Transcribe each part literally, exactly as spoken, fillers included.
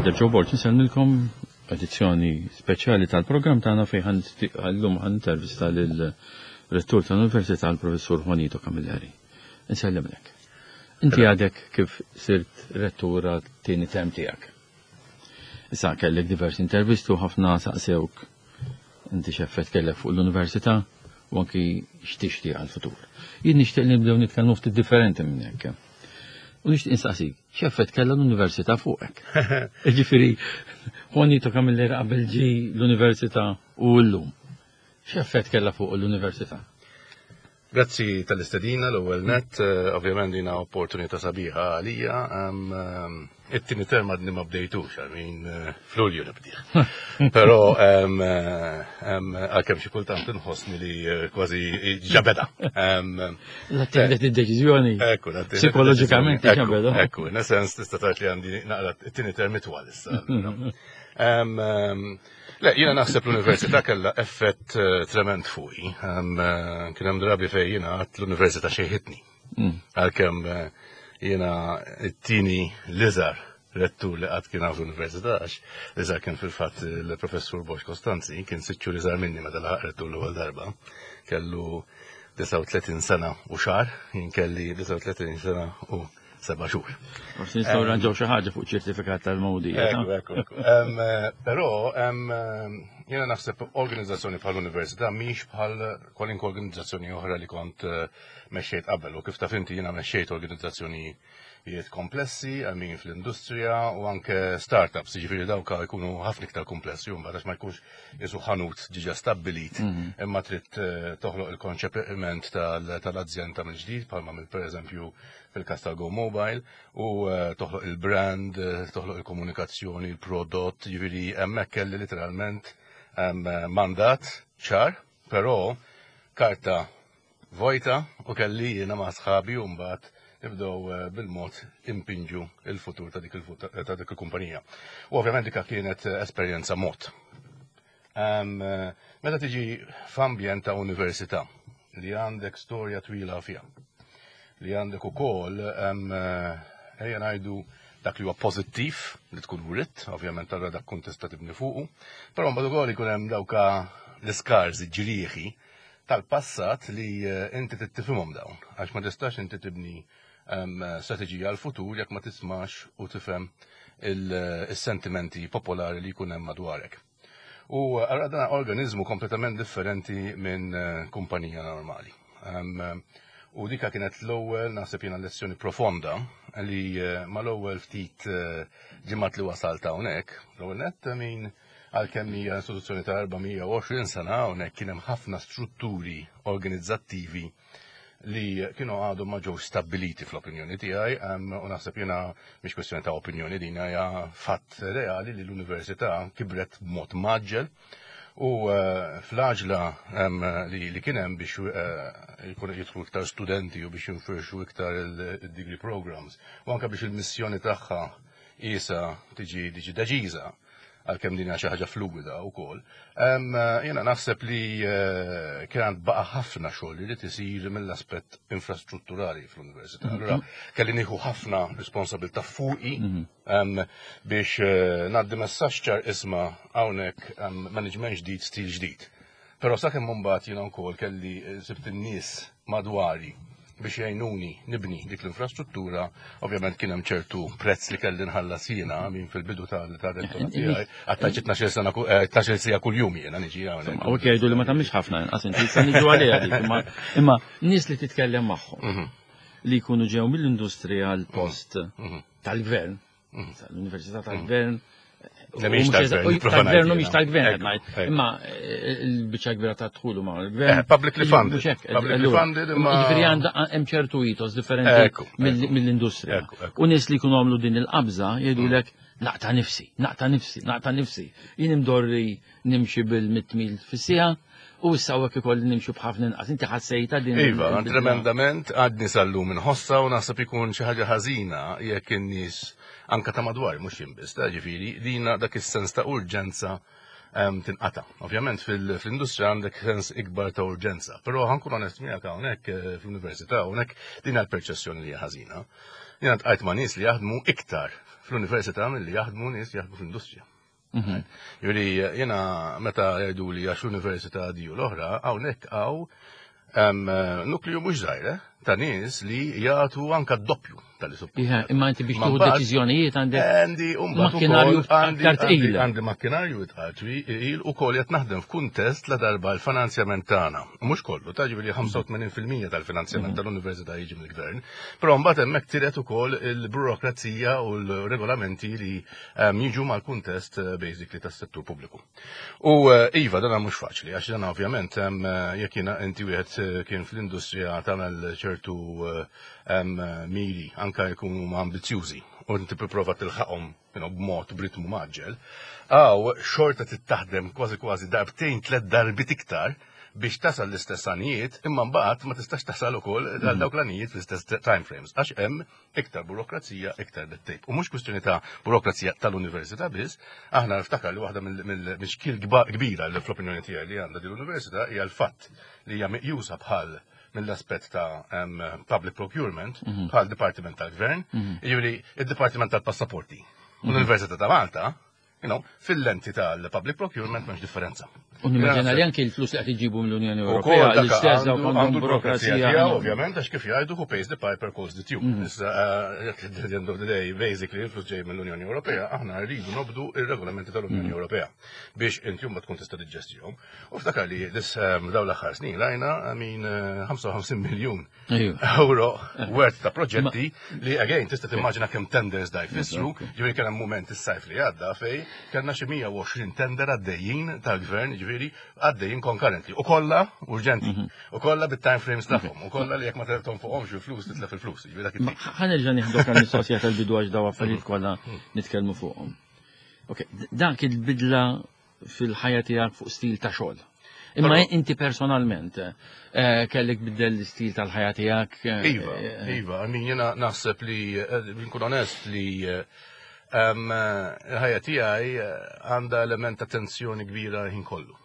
Father Joe Borg, nsellmilkom edizzjoni speċjali tal-programm tagħna fejn llum ħa nintervista lill-rettur tal-Università, l-Professur Juanito Camilleri. Nsellimlek. Inti għadek kif sirt rettur, it-tieni term tiegħek. Issa kellek diversi intervisti u ħafna saqsewk inti x'effett kellek fuq l-università u anki x'tixtieq għal-futur. Jien nixtieq li nibdew nitkellmu ftit differenti minn hekk. U nixtieq insaqsik, x'effett kellha l-università fuqek? Ġifieri, Juanito Camilleri qabel ġie l-università u llum. X'effett kellha fuq l-università? Grazzi tal-istedina l-ewwel net, eh, ovvjament dina opportunità sabiħa għalija. It-tieni term għadni ma bdejtux, għamin eh, f'Lulju nibdih. Però għalkemm xi kultant inħossni li eh, kważi ġa beda. La tieħdet id-deċiżjoni. Ekku, Psikoloġikament ġa beda. Ekku, in sens tista' tgħid li għandi naqra it-tieni term itwal issa. Le, jiena naħseb l-università kellha effett eh, trement fuqi. Eh, kien hemm drabi fejn jiena għedt l-università xejħitni. Mm. Għalkemm eh, jiena t-tieni l-iżgħar rettur li qatt kien fl-università, għax l-iżgħar kien fil-fatt il-professur Bosch Costanzi, kien sitt xhur iżgħar minni meta laħaq rettur l-ewwel darba. Kellu disgħa u tletin sena u xahar, jien kelli disgħa u tletin sena u seba' xhur. Forsi nistgħu ranġaw xi ħaġa fuq ċertifikat tal-mowdija. Ekku, ekku, ekku. Però jiena naħseb organizzazzjoni bħal università mhix bħal kwalunkwe organizzazzjoni oħra li kont eh, mexxejt qabel, u kif taf inti jiena mexxejt organizzazzjonijiet komplessi, għamin fl-industrija u anke startups, ġifieri dawka jkunu ħafna iktar komplessi, u mbagħad ma jkunx jisu ħanut diġà stabbilit, mhm. imma trid eh, toħloq il-konċepiment tal-azienda mill-ġdid, bħalma mill pereżempju fil-kas tal-Go Mobile, u eh, toħloq il-brand, eh, toħloq il-komunikazzjoni, il-prodott, ġifieri hemmhekk kelli literalment mandat ċar, però karta vojta, u kelli jiena ma' sħabi u mbagħad nibdew eh, bil-mod impinġu il-futur ta' dik ta' dik il-kumpanija. U ovvjament dika kienet esperjenza mod. Meta tiġi f'ambjent ta' università li għandek storja twila fiha, li għandek ukoll ejja ngħidu dak li huwa pożittiv li tkun wirt, ovvjament tara dak kun tista' tibni fuqu, però mbagħad ukoll ikun hemm dawka l-iskars, ġrieħi tal-passat li eh, inti tifhimhom dawn, għax ma tistax inti tibni strateġija għal-futur jekk ma tismax u tifhem il-sentimenti popolari li jkun hemm madwarek. U għara dan organizmu kompletament differenti minn eh, kumpanija normali. U dika kienet l-ewwel, naħseb jiena, lezzjoni profonda li eh, mal-ewwel ftit eh, ġimgħat li wasalt hawnhekk. L-ewwel nett min għalkemm hija istituzzjoni ta' erba' mija u għoxrin sena, hawnhekk kien hemm ħafna strutturi organizzattivi li kienu għadu ma ġew stabbiliti fl-opinjoni tiegħi, u naħseb jiena mhix kwestjoni ta' opinjoni, din hija fatt reali li l-università kibret b'mod mgħaġġel u eh, fl-għaġla li, li kien hemm biex eh, jkunu jidħlu iktar studenti u biex jinfirxu iktar il-degree programs u anke biex il-missjoni tagħha isa tiġi tiġi deċiża, għalkemm din hija xi ħaġa fluwida wkoll. Jiena naħseb li eh, kien baqa' ħafna xogħol li tisir mill-aspett infrastrutturali fl-università. Mhm. Allura kelli nieħu ħafna responsabilità fuqi mhm. biex eh, ngħaddi messaġġ ċar: isma', hawnhekk management ġdid, stil ġdid. Però sakemm mbagħad jiena wkoll kelli eh, sibt in-nies madwari biex jgħinuni nibni dik l-infrastruttura, ovvjament kien hemm ċertu prezz li kelli nħallas jiena minn fil-bidu tal-rettorat tiegħi, għattaċ tnax-il sena, tnax-il siegħa kuljum jiena niġi hawnhekk. U jgħidu li ma tagħmilx ħafna inqas inti, sa niġu għaliha dik, imma nies li titkellem magħhom mhm. li jkunu ġew mill-industrija għal post mhm. tal-gvern, mhm. l-Università tal-Gvern, tal-gvern u mhix tal-gvern, imma eh, il-biċċa kbira ta' dħulu ma' l-gvern. Eh, publicly funded. Publicly funded imma. Ġifieri għandha hemm ċertu ethos differenti mill-industrija. U nies li jkunu għamlu din il-qabża jgħidulek: "Naqta' nifsi, naqta' nifsi, naqta' nifsi. Jien imdorri nimxi bil-mitt mil fis-siegħa u issa hawnhekk ikolli nimxu b'ħafna inqas." Inti ħassejta din? Iva, tremendament, għadni sal-lum inħossa, u naħseb ikun xi ħaġa ħażina jekk in-nies anka ta' madwar, mhux jien biss, ta' ġifieri, dina dak is-sens ta' urġenza tinqata. Ovvjament fil-industrija għandek sens ikbar ta' urġenza, però ħa nkun onest miegħek, hawnhekk eh, fl-università hawnhekk din l-perċessjoni li hija ħażina. Jiena ltqajt ma' nies li jaħdmu iktar fl-università milli jaħdmu nies jaħdmu fl-industrija. Mhm. Jiġifieri jiena meta jgħidu li għax l-università di u l-oħra, hawnhekk hawn nukliju mhux żgħir eh, ta' nies li jagħtu anka d-doppju tal suppost. Imma inti biex tieħu deċiżjonijiet għandek għandi makkinarju aktar tqil. Għandi makkinarju iktar tqil u koll qed naħdem f'kuntest la darba l-finanzjament tagħna. Mhux kollu, ta' ġifieri ħamsa u tmenin fil-mija tal-finanzjament mhm. tal-università jiġi mill-gvern, però mbagħad hemmhekk tiret ukoll il-burokrazija u l-regolamenti li jiġu mal-kuntest eh, basically tas-settur pubbliku. U eh, iva, dan mhux faċli, għax dan ovvjament jekk jiena inti wieħed kien fl-industrija tagħmel ċertu miri anka jkunu ambizjużi u inti tipprova tilħaqhom b'mod b'ritmu mgħaġġel, għaw xorta tittaħdem kważi kważi darbtejn, tliet darbit iktar biex tasal l-istess għanijiet, imma mbagħad ma tistax tasal ukoll għal mhm. dawk l-għanijiet fl-istess time frames, għax hemm iktar burokrazija, iktar red tape. U mhux kwistjoni ta' burokrazija tal-università biss, aħna niftakar li waħda mill-xkiel kbira li fl-opinjoni tiegħi li għandha din l-università hija l-fatt li hija meqjusa bħal mill-aspett ta' um, public procurement mhm. bħal Dipartiment tal-Gvern, mhm. jiġifieri id-Dipartiment tal-Passaporti. U l-Università ta' Malta, you know, fil-lenti tal-public procurement m'hemmx differenza. U nimmaġina li anke l-flus li qed iġibu mill-Unjoni Ewropea, l-istess dawk għandhom burokrazija tiegħu, ovvjament, għax kif jgħidu, who pays the piper calls the tune. Mhm. Issa, uh, at the end of the day, basically, il-flus ġej mill-Unjoni Ewropea, aħna rridu nobdu ir-regolamenti tal-Unjoni mhm. Ewropea biex inti ma tkun tista' tiġġestihom. U ftakar li dis um, dawn l-aħħar snin rajna min ħamsa u ħamsin miljun euro worth ta' proġetti li again tista' timmaġina kemm tenders da jfissru, ġifieri kien hemm mument is-sajf li għadda fej kellna xi mija u għoxrin tender għaddejjin tal-gvern, ġifieri għaddejjin concurrently. U kollha urġenti, mhm. u kollha bit-time frames tagħhom, u kollha li jekk ma teltom fuqhomx il-flus titlef il-flus. Ġifieri dak it-tip. Ħa nerġa' nieħdu għal mistoqsija tal-bidu għax daw affarijiet kollha nitkellmu fuqhom. Ok, dak il-bidla fil-ħajja tiegħek fuq stil ta' xogħol. Imma inti personalment eh, kellek biddel l-istil tal-ħajja tiegħek? eh, Iva, eh, iva, I mean, jena naħseb li, nkun onest li il-ħajja tiegħi għandha element ta' tensjoni kbira ħin kollu.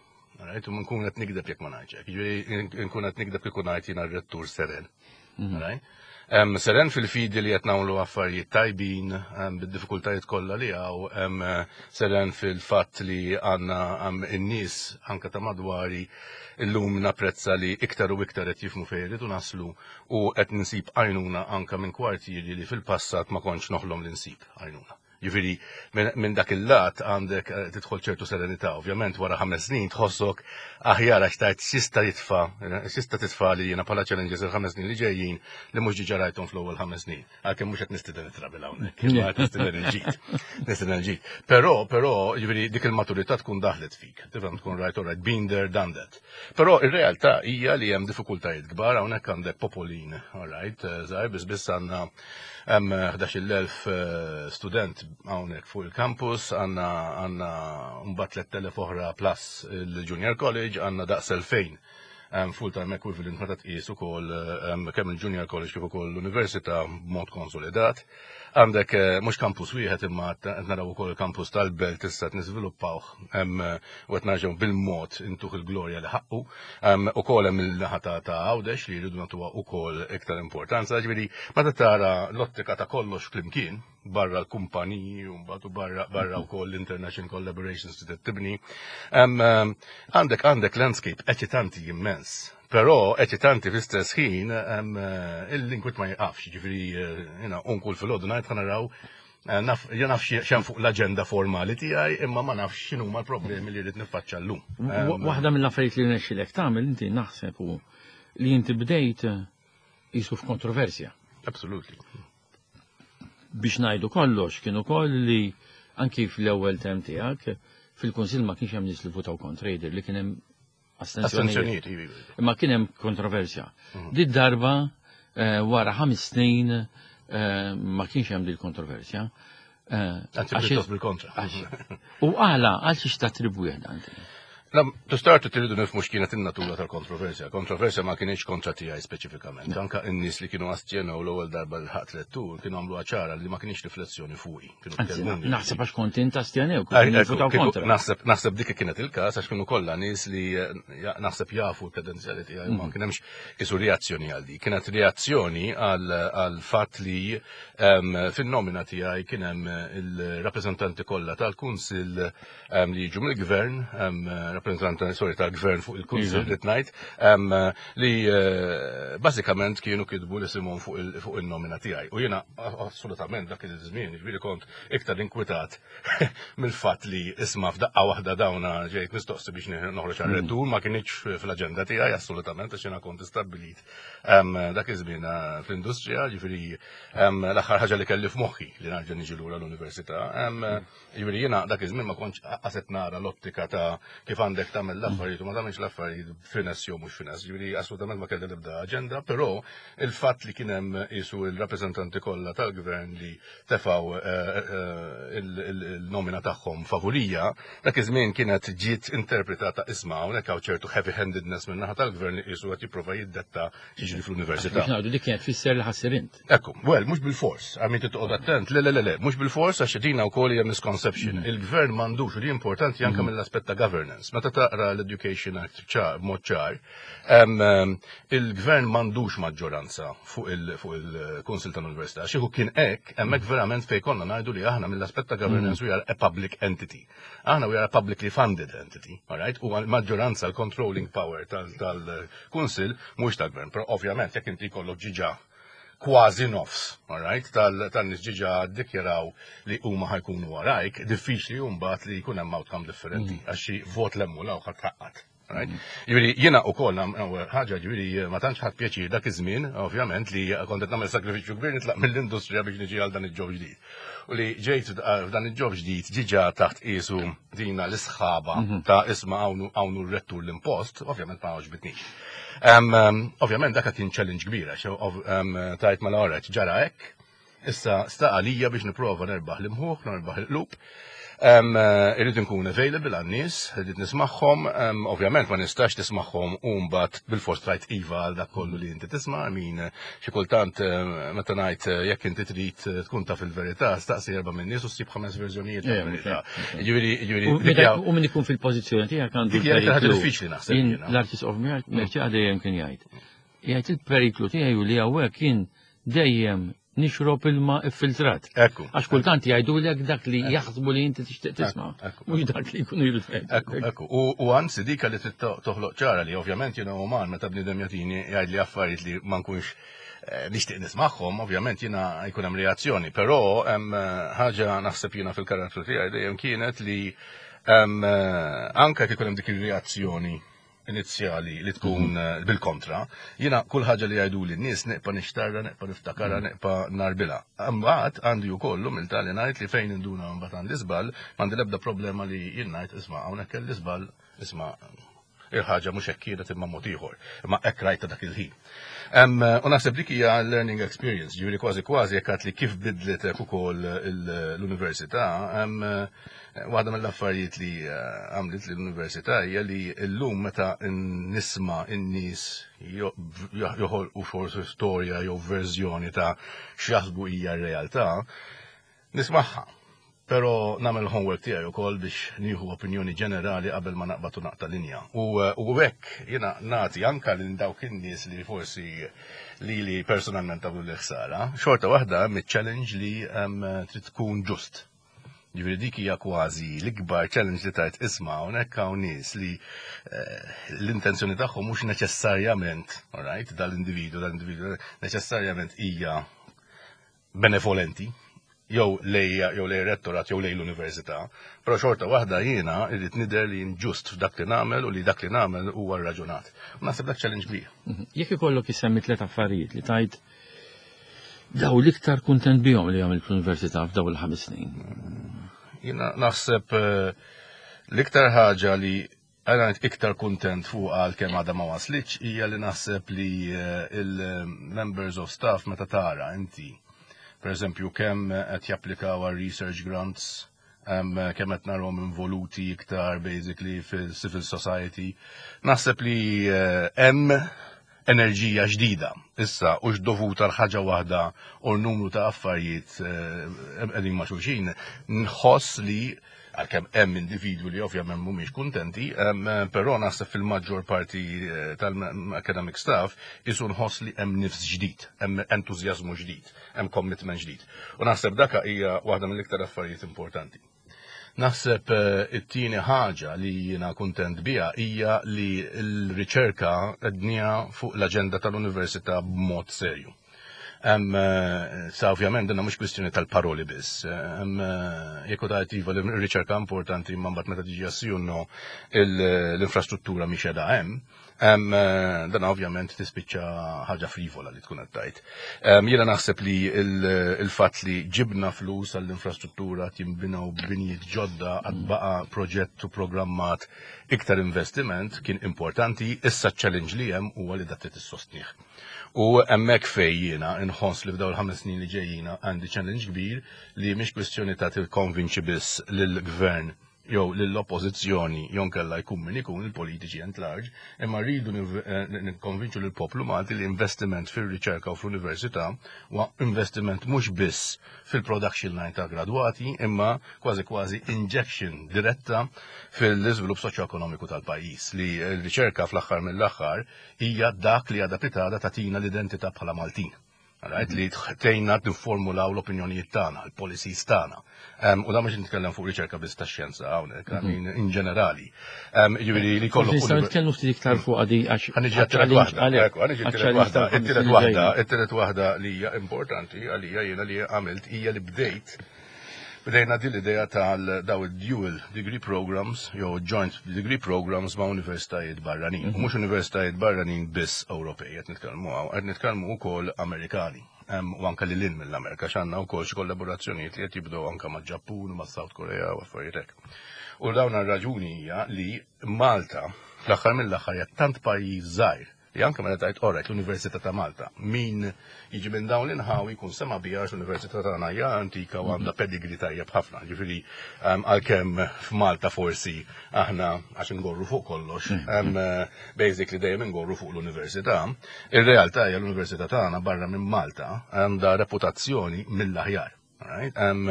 Right? U nkun qed nigdeb jekk ma ngħidx. Jiġifieri nkun qed nigdeb kieku ngħid jiena r-rettur seren. Mhm. Right? Um, seren fil-fidi li qed nagħmlu affarijiet tajbin, um, bid-diffikultajiet kollha li hawn, um, seren fil-fatt li għandna um, in-nies anka ta' madwari illum napprezza li iktar u iktar qed jifhmu fejn irridu naslu u qed ninsib għajnuna anka minn kwartieri li fil-passat ma kontx noħlom li nsib għajnuna. Ġifieri, minn dak il-lat għandek eh, tidħol ċertu serenità. Ovvjament wara ħames snin tħossok aħjar għax tajt x'jista' jitfa', x'jista' titfa' li jiena bħala challenges il-ħames snin li ġejjin li mhux diġà rajthom fl-ewwel ħames snin. Għalkemm mhux qed nistieden it-trabil hawnhekk, imma qed nistieden il-ġid. Nistieden il-ġid. Però, però, ġifieri dik il-maturità tkun daħlet fik. Tifhem, tkun rajt, all right, been there, done that. Però ir-realtà hija li hemm diffikultajiet kbar. Hawnhekk għandek popolin, all right, żgħir, biss biss għandna hemm ħdax-il elf eh, student hawnhekk fuq il-campus, għandna għandna mbagħad tlett elef oħra plus il-Junior College, għandna daqs elfejn um, full-time equivalent meta tqis ukoll um, kemm il-Junior College kif ukoll l-Università b'mod konsolidat. Għandek eh, mhux campus wieħed imma qed naraw ukoll il-campus tal-Belt issa qed niżviluppawh hemm u qed narġgħu bil-mod intuh il-glorja li ħaqqu. Um, Ukoll hemm il-naħa ta' ta' Għawdex li jridu nagħtuha ukoll iktar importanza. Ġifieri meta tara l-ottika ta' kollox flimkien barra l-kumpaniji u mbagħad u barra barra wkoll l-international collaborations li tibni. Em, em, Għandek għandek landscape eċitanti immens. Però eċitanti fl-istess ħin em, eh, il-inkwit ma jiqafx, ġifieri eh, jiena unkul fil-ħodu ngħid ħa naraw eh, naf jien naf x'hemm fuq l-aġenda formali tiegħi, imma ma nafx x'inhuma l-problemi li rrid niffaċċja llum. Wa- Waħda mill-affarijiet li rnexxilek tagħmel inti naħseb hu li inti bdejt jisu f'kontroversja. Absolutely. Biex ngħidu kollox, kienu koll li anki fl-ewwel term tiegħek fil-Kunsill ma kienx hemm nies li votaw kontra, jidher li kien hemm astensjonijiet. Astenzjonijiet, iva, iva. Imma kien hemm kontroversja. Di darba eh, wara ħames snin eh, ma kienx hemm dil kontroversja. Eh, Anzi, għax- pjuttost bil-kontra. għax- U għala, għal xiex tattribwih dan? To start with, irridu nifhmu x'kienet in-natura tal-kontroversja. Kontroversja ma kienx kontra tiegħi speċifikament. Anka n-nies li kienu astjenew l-ewwel darba li ħadt rettur kienu għamlu ċara li ma kienx riflessjoni fuqi. Naħseb għax kont int astjenew, kontra. Naħseb naħseb dik kienet il-każ, għax kienu kollha nies li naħseb jafu l-kredenzjali tiegħi, ma kien hemmx isu reazzjoni għal di. Kienet reazzjoni għal fatt li fin-nomina tiegħi kien hemm il-rappreżentanti kollha tal-Kunsill li jiġu mill-gvern, rappresentanti, sorry, tal-gvern fuq il-Kunsill li tnajt, li bażikament kienu kitbu li simon fuq il-nomina tiegħi. U jiena assolutament dak il-żmien, ġifieri, kont iktar inkwitat mill-fatt li, isma', f'daqqa waħda dawna ġejt mistoqsi biex noħroġ għal-rettur, ma kienx fl-aġenda tiegħi assolutament, għax jiena kont istabbilit dak iż-żmien fl-industrija, ġifieri l-aħħar ħaġa li kelli f'moħħi li nerġa' niġi lura l-università. Ġifieri jiena dak iż-żmien ma kontx qaset nara l-ottika ta' kif għandek tagħmel l-affarijiet u ma tagħmilx l-affarijiet, finesse jew mhux finesse. Ġifieri assolutament ma kelli nibda aġenda, però il-fatt li kien hemm isu il-rappreżentanti kollha tal-gvern li tefaw il-nomina tagħhom favorija, dak iż-żmien kienet ġiet interpretata, isma', hawnhekk hawn ċertu heavy-handedness minn naħa tal-gvern li qisu qed jipprova jiddetta x'jiġri fl-università. Biex ngħidu, dik kienet tfisser li ħa ssir int. Ekku, well, mhux bil-fors, għax trid toqgħod attent, le, le, le, le, mhux bil-fors, għax dina wkoll hija misconception. Il-gvern m'għandux, u li importanti anke mill-aspett ta' governance. Meta taqra l-Education Act b'mod ċar, il-gvern m'għandux maġġoranza fuq il-Kunsil tal-Università. Kieku kien hekk, hemmhekk verament fejn konna ngħidu li aħna mill-aspett ta' governance we are a public entity. Aħna we are a publicly funded entity, all right? U maġġoranza, l-controlling power tal-Kunsil mhux tal-gvern. Però ovvjament jekk inti jkollok diġà kważi nofs, all right, tan-nies diġà ddikjaraw li huma ħa jkunu warajk, diffiċli mbagħad li jkun hemm outcome differenti, għax xi vot 'l hemm u 'l hawn ħadd ħaqqat. Right? Ġifieri, jiena ukoll ħaġa, ġifieri, ma tantx ħadt pjaċir dak iż-żmien, ovvjament, li kont qed nagħmel sakrifiċċju kbir nitlaq mill-industrija biex niġi għal dan il-job ġdid. U li ġejt f'dan il-job ġdid diġà taħt qisu dina l-isħaba ta' isma', hawn r-rettur l-impost, ovvjament ma għoġbitnix. Ovvjament dak kien challenge kbira, tajt ma l ġara hekk, issa sta għalija biex nipprova nerbaħ l-imħuħ, nerbaħ il-qlub. Irrid nkun available għan-nies, irrid nismagħhom, ovvjament ma nistax tismagħhom u mbagħad bil-fors tgħid iva għal dak kollu li inti tisma', min xi kultant, meta ngħid, jekk inti trid tkun taf il-verità, staqsi erba' minn nies u ssib ħames verżjonijiet tal-verità. Ġifieri, ġifieri. U min ikun fil-pożizzjoni tiegħek għandu. Dik hija ħaġa diffiċli, naħseb. L-Arċisqof Mercieca dejjem kien jgħid. Jgħid il-periklu tiegħi li hawnhekk kien dejjem nixrob ilma iffiltrat. Ekku. Għax kultant jgħidu lek dak li jaħsbu li inti tixtieq tisma'. Mhux dak li jkunu jridu. Ekku, ekku. U anzi dik li trid toħloq ċara li ovvjament jiena uman, meta bniedem jagħtini, jgħid li affarijiet li ma nkunx eh, nixtieq nismagħhom, ovvjament jiena jkun hemm reazzjoni, però hemm eh, ħaġa, naħseb jiena fil-karattru tiegħi dejjem kienet li eh, anke kif ikun hemm dik ir-reazzjoni inizjali li tkun mhm. bil-kontra, jiena kull ħaġa li jgħidu li n-nies nibqa' nixtarra, nibqa' niftakarha, mhm. nibqa' narbilha. Mbagħad għandi wkoll mill li ngħid li fejn induna mbagħad għandi żball, m'għandi l-ebda problema li jien ngħid, isma', hawnhekk kelli żball, isma', il-ħaġa mhux hekk kienet imma mod ieħor, imma hekk rajta dak il-ħin. U naħseb dik hija learning experience, ġifieri kważi kważi jekk li kif bidlitek ukoll l-università, waħda mill-affarijiet li eh, għamlet l-università hija li llum meta nisma' in-nies joħolqu forsi storja jew verżjoni ta' x'jaħsbu hija r-realtà, nismagħha. Pero nagħmel homework tiegħi ukoll biex nieħu opinjoni ġenerali qabel ma naqbad u naqta' linja. U u hekk jiena nagħti anka lil dawk in-nies li forsi li li personalment għamlu li ħsara, xorta waħda mit-challenge li trid tkun ġust. Ġifieri dik hija kważi l-ikbar challenge li tajt, isma', hawnhekk hawn nies li eh, l-intenzjoni tagħhom mhux neċessarjament, alright, dal-individu, dal-individu neċessarjament hija benevolenti, jew lej jew lej rettorat jew lej l-università, però xorta waħda jiena irrid nidher li ġust f'dak li nagħmel u li dak li nagħmel huwa raġunat. U naħseb dak challenge kbir. Mhm. Jekk ikollok isemmi tliet affarijiet li tajt daw l-iktar kuntent bihom li għamilt fl-università f'daw il-ħames snin. Jiena naħseb eh, l-iktar ħaġa li għana iktar kontent fuq, għal kemm għadha ma waslitx, hija li naħseb li eh, il-members of staff, meta tara inti per eżempju kemm qed japplikaw għal research grants, kemm qed narhom involuti iktar basically fil-civil society. Naħseb li eh, hemm enerġija ġdida. Issa, u dovuta l-ħaġa waħda u l-numru ta' affarijiet eh, qegħdin ma' xulxin, nħoss li għalkemm hemm individwi li ovvjament mhumiex kuntenti, però naħseb fil-maġġor parti eh, tal-academic staff isu nħoss li hemm nifs ġdid, hemm entużjażmu ġdid, hemm commitment ġdid. U naħseb daka hija waħda mill-iktar affarijiet importanti. Naħseb eh, it-tieni ħaġa li jiena kuntent biha hija li l-riċerka qegħdniha fuq l-aġenda tal-università b'mod serju. Em, eh, sa ovvjament dinna mhux kwistjoni tal-paroli biss. Em, eh, jekk tgħid iva li r-riċerka importanti imma mbagħad meta tiġi għas l-infrastruttura mhix qiegħda hemm. Em, eh, dan ovvjament tispiċċa ħaġa frivola li tkun qed tgħid. Em, Jiena naħseb li il-fatt li ġibna flus għall-infrastruttura jinbinaw binijiet ġodda għad baqa proġett u programmat iktar investiment kien importanti, issa challenge li hemm huwa li dak trid issostnih. U hemmhekk fej jiena nħoss li f'dawn il-ħames snin li ġejjina għandi challenge kbir li mhix kwestjoni ta' tikkonvinċi biss lill-gvern jew lill-oppożizzjoni jew nkella jkun min ikun il-politiċi at large, imma rridu nikkonvinċu lill-poplu Malti li investiment fir-riċerka u fl-università huwa investiment mhux biss fil-production line ta' gradwati, imma kważi kważi injection diretta fil-iżvilupp soċjoekonomiku tal-pajjiż li l-riċerka fl-aħħar mill-aħħar hija dak li għada pitgħada tagħtina l-identità bħala Maltin. Right, li tgħinna nifformulaw l-opinjonijiet tagħna, l-policies tagħna. U da mhux nitkellem fuq riċerka biss tax-xjenza hawnhekk, I mean in ġenerali. Jiġifieri li kollok. Nistgħu nitkellmu ftit iktar fuq għadi għax. Ħa niġi għat-tielet waħda, ħa niġi għat-tielet waħda, it-tielet waħda, it-tielet waħda li hija importanti għalija jiena li għamilt hija li bdejt Bdejna din l-idea tal daw dual degree programs, jew joint degree programs ma' universitajiet barranin. U mhux universitajiet barranin biss Ewropej, qed nitkellmu hawn, qed nitkellmu wkoll Amerikani. U anka lil hinn mill-Amerika, għandna wkoll xi kollaborazzjonijiet li qed jibdew anka ma' Ġappun u ma' South Korea u affarijiet hekk. U dawn ar-raġuni hija li Malta fl-aħħar mill-aħħar hija tant pajjiż żgħir li anke meta tgħid orrajt l-Università ta' Malta, min jiġi minn dawn l-inħawi jkun sema biha l-Università tagħna hija antika u għandha pedigree tajjeb ħafna. Ġifieri għalkemm f'Malta forsi aħna għax ingorru fuq kollox, basically dejjem ingorru fuq l-università, ir-realtà hija l-Università tagħna barra minn Malta għandha reputazzjoni mill-aħjar. Right? Um,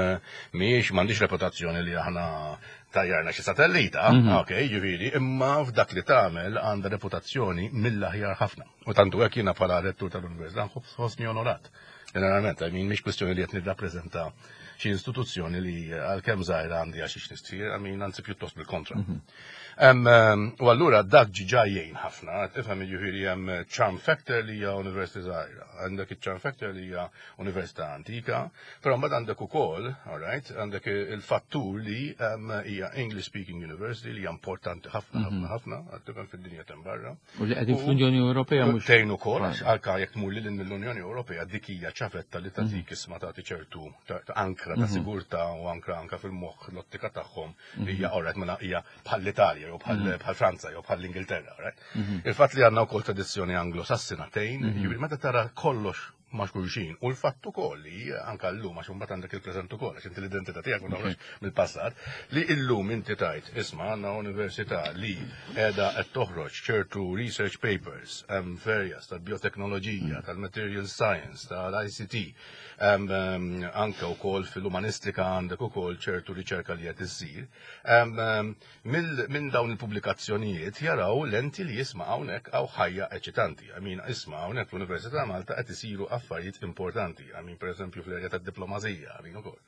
mhix m'għandix reputazzjoni li aħna tajjarna xi satellita, ok, ġifieri, imma f'dak li tagħmel għandha reputazzjoni mill-aħjar ħafna. U tantu hekk jiena bħala rettur tal-Università nħossni onorat. Generalment, I mean, mhix kwestjoni li qed nirrappreżenta xi istituzzjoni li għalkemm żgħira għandi għax xiex nistħi, I mean, anzi pjuttost bil-kontra. U allura dak ġiġa jgħin ħafna, tifhem jiġifieri hemm charm factor li hija università żgħira, għandek il-charm factor li hija università antika, però mbagħad għandek ukoll, all right, għandek il-fattur li hija English speaking university li hija importanti ħafna ħafna ħafna, tifhem fid-dinja hemm barra. U li qegħdin fl-Unjoni Ewropea mhux. Tgħin ukoll, anke jekk tmur lil mill-Unjoni Ewropea dik hija ċavetta li tagħtik isma' tagħti ċertu ankra ta' sigurtà u ankra anka fil-moħħ l-ottika tagħhom li hija alright mela hija bħall-Italja jew bħal Franza jew bħal l-Ingilterra, right? Il-fatt li għandna wkoll tradizzjoni anglosassina tgħin, jiġifieri meta tara kollox ma' xulxin. U l-fatt ukoll li anka llum għax imbagħad għandek il-preżent ukoll għax inti l-identità tiegħek ma toħroġ mill-passat, li illum inti tgħid isma' għandna università li qiegħda qed toħroġ ċertu research papers hemm various tal-bioteknoloġija, tal-material science, tal-ICT, anka wkoll fil-umanistika għandek ukoll ċertu riċerka li qed issir. Minn dawn il-pubblikazzjonijiet jaraw lenti li jisma' hawnhekk hawn ħajja eċitanti. I mean, isma' hawnhekk fl-Università Malta qed isiru affarijiet importanti. I mean, per eżempju, fl-erja tad-diplomazija, I mean, ukoll.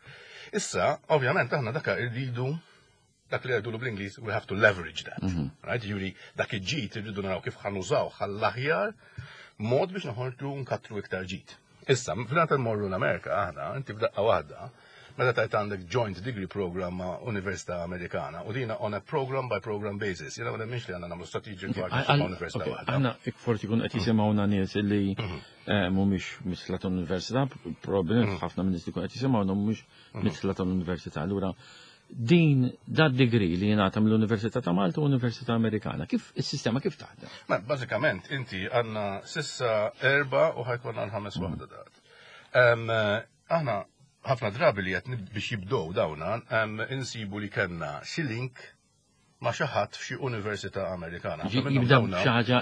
Issa, ovvjament, aħna daka irridu dak li jgħidu bl-Ingliż, we have to leverage that. Right? Jiġifieri, dak il-ġid irridu naraw kif ħa nużaw għall-aħjar mod biex noħorġu nkattru iktar ġid. Issa, fil-għata morru l-Amerika, aħna, inti f'daqqa waħda, meta tajt għandek joint degree program ma' Università Amerikana u dina on a program by program basis. Jiena ma nemminx li għandna nagħmlu strategic partnership ma' università waħda. Għanna forsi kun qed jisimgħuna nies li eh, mhumiex midħla tal-università, probabbilment ħafna minn nies li kun qed jisimgħuna mhumiex midħla tal-università. Allura din dat degree li jingħata mill-Università ta' Malta u Università Amerikana, kif is-sistema kif taħdem? Ma bażikament inti għandna sissa erba' u ħa jkollna l-ħames waħda dat. Aħna Ħafna drabi li qed biex jibdew dawna insibu li kellna xi link ma' xi ħadd f'xi università Amerikana. Jibdew xi ħaġa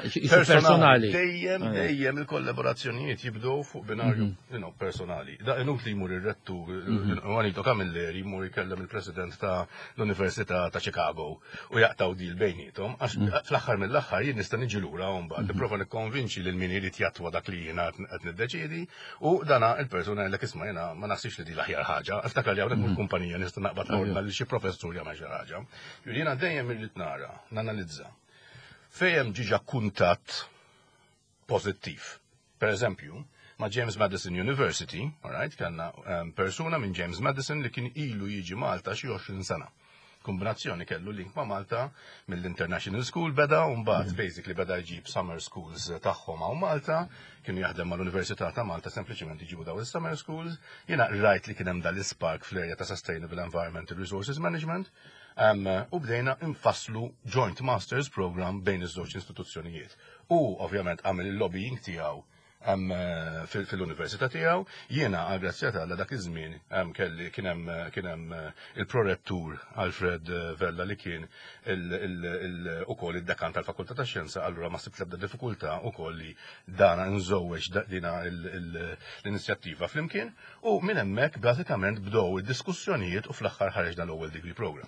personali. Dejjem, dejjem il-kollaborazzjonijiet jibdew fuq binarju mhm. personali. Da inutli jmur ir-rettur mhm. Juanito Camilleri jmur jkellem il-president ta' l-Università ta' Chicago u jaqtaw deal bejnietom, għax mhm. fl-aħħar mill-aħħar jien nista' niġi lura u mbagħad nipprova nikkonvinċi lil min irid jattwa dak li jiena qed niddeċiedi u dana il-persuna jgħidlek, "Isma', jiena ma naħsibx li di l-aħjar ħaġa." Iftakar li hawnhekk mhux kumpanija nista' naqbad ordna li xi professur jagħmel xi ħaġa. Jiena dejjem irrid nara, nanalizza. Fejn hemm diġà kuntatt pożittiv. Per eżempju, ma' James Madison University, alright, kellna um, persuna minn James Madison li kien ilu jiġi Malta xi għoxrin sena. Kombinazzjoni kellu link ma' Malta mill-International School beda u mbagħad mm. basically beda jġib summer schools tagħhom hawn Malta, kienu jaħdem mal-Università ta' Malta, sempliċement jġibu daw is-summer schools. Jiena rajt li kien hemm dal-ispark fl-area ta' Sustainable Environmental Resources Management um, u bdejna infasslu Joint Masters Program bejn iż-żewġ istituzzjonijiet. U ovvjament għamel il-lobbying tiegħu um, fil-università tiegħu. Jiena għal grazzja ta' dak iż-żmien kelli kien hemm kien hemm il-prorettur Alfred Vella li kien ukoll id-dekan tal-Fakultà tax-Xjenza, allura ma sibt l-ebda diffikultà ukoll li dana nżewweġ dina l-inizjattiva flimkien u minn hemmhekk bażikament bdew id-diskussjonijiet u fl-aħħar ħareġ dan l-ewwel degree program.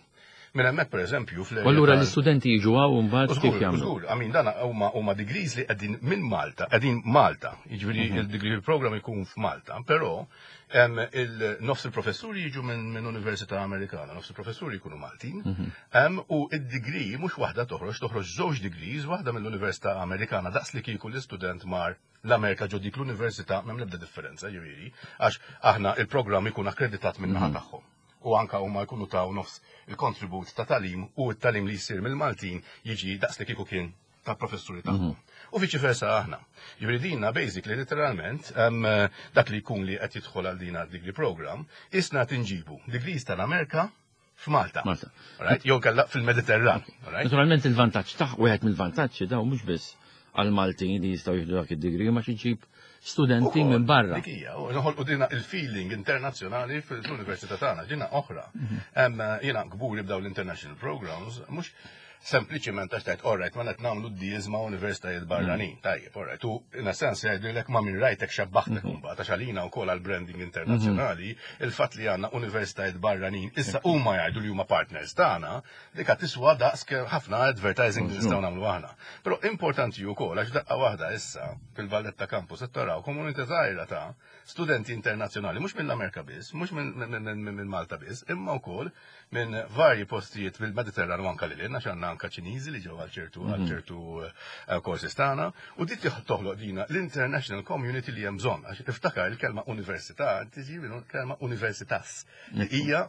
Minn hemmhekk, pereżempju, fl Allura l-istudenti jiġu hawn u mbagħad kif jagħmlu? Żgur, I mean, dana huma huma degrees li qegħdin minn Malta, qegħdin Malta, jiġifieri mhm. il-degree program ikun f'Malta, però il-nofs il-professuri jiġu minn Università Amerikana, nofs il-professuri jkunu Maltin, mhm. u id-degree mhux waħda toħroġ, toħroġ żewġ degrees, waħda mill-Università Amerikana daqs li kieku l-istudent mar l-Amerika ġo dik l-università, m'hemm l-ebda differenza, ġifieri, għax aħna il-programm ikun akkreditat minn naħa mhm. tagħhom u anka huma jkunu taw nofs il-kontribut ta' tagħlim u t-tagħlim li jsir mill-Maltin jiġi daqs li kieku kien ta' professuri tagħhom. Mhm. U viċi versa aħna. Jiġifieri dina basically literalment dak li jkun li qed jidħol għal dina degree program, isna tinġibu degrees tal-Amerika f'Malta. Malta. Right? Jew kella fil-Mediterran. Naturalment il-vantaġġ taħ wieħed mill-vantaġġi daw mhux biss għal-Maltin li jistgħu jieħdu dak id-degree ma ġib studenti minn barra. Dik hija, u noħolqu dina il-feeling internazzjonali fil-università tagħna, ġina oħra. Mhm. Jiena kburi b'daw l-international programs, mhux sempliċiment għax tajt, alright, ma qed nagħmlu deals ma' universitajiet barranin. Mhm. Tajjeb, alright. U in a sense jgħidulek ma' min rajtek xebbaħtek mhm. mbagħad, għax għalina wkoll għall-branding internazzjonali, il-fatt li għandna universitajiet barranin issa huma jgħidu li huma partners tagħna, dik tiswa daqs ħafna advertising li nistgħu nagħmlu aħna. Però importanti wkoll għax daqqa waħda issa fil-Valletta Campus qed taraw komunità żgħira ta' studenti internazzjonali, mhux mill-Amerika biss, mhux minn Malta biss, imma wkoll minn varji postijiet fil-Mediterran u anka lil għax għandna anka Ċiniżi li ġew għal ċertu għal mhm. ċertu eh, courses tagħna, u dik toħloq dina l-international community li hemm bżonn. Għax iftakar, il-kelma università tiġi minn kelma universitas. Hija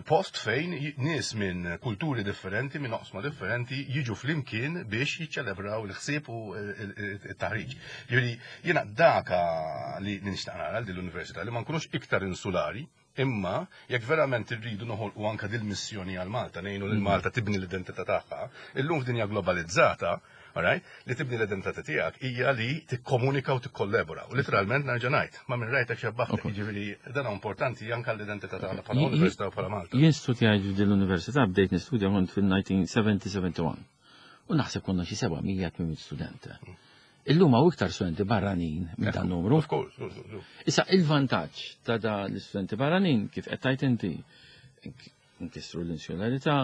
post fejn nies minn kulturi differenti, minn oqsma differenti jiġu flimkien biex jiċċelebraw il-ħsieb u il-taħriġ. Jiġifieri jiena daka li nixtaq nara l-università, li ma nkunux iktar insulari, imma jekk verament irridu noħolqu anka dil-missjoni għal Malta, ngħinu lil Malta tibni l-identità tagħha, illum f'dinja globalizzata, alright, li tibni l-identità tiegħek hija li tikkomunika u tikkollabora. U literalment nerġa' ngħid, ma' min rajtek xebbaħtek, jiġifieri dan importanti anke l-identità tagħna bħala università u bħala Malta. Jien studjajt f'din l-università, bdejt nistudja kont fil-elf disa' mija sebgħa u sebgħin. U naħseb konna xi seba' mija student. Illum hawn iktar studenti barranin minn dan numru. Of course. Issa il-vantaġġ ta' da l-istudenti barranin, kif qed tgħid inti, nkissru l-insularità,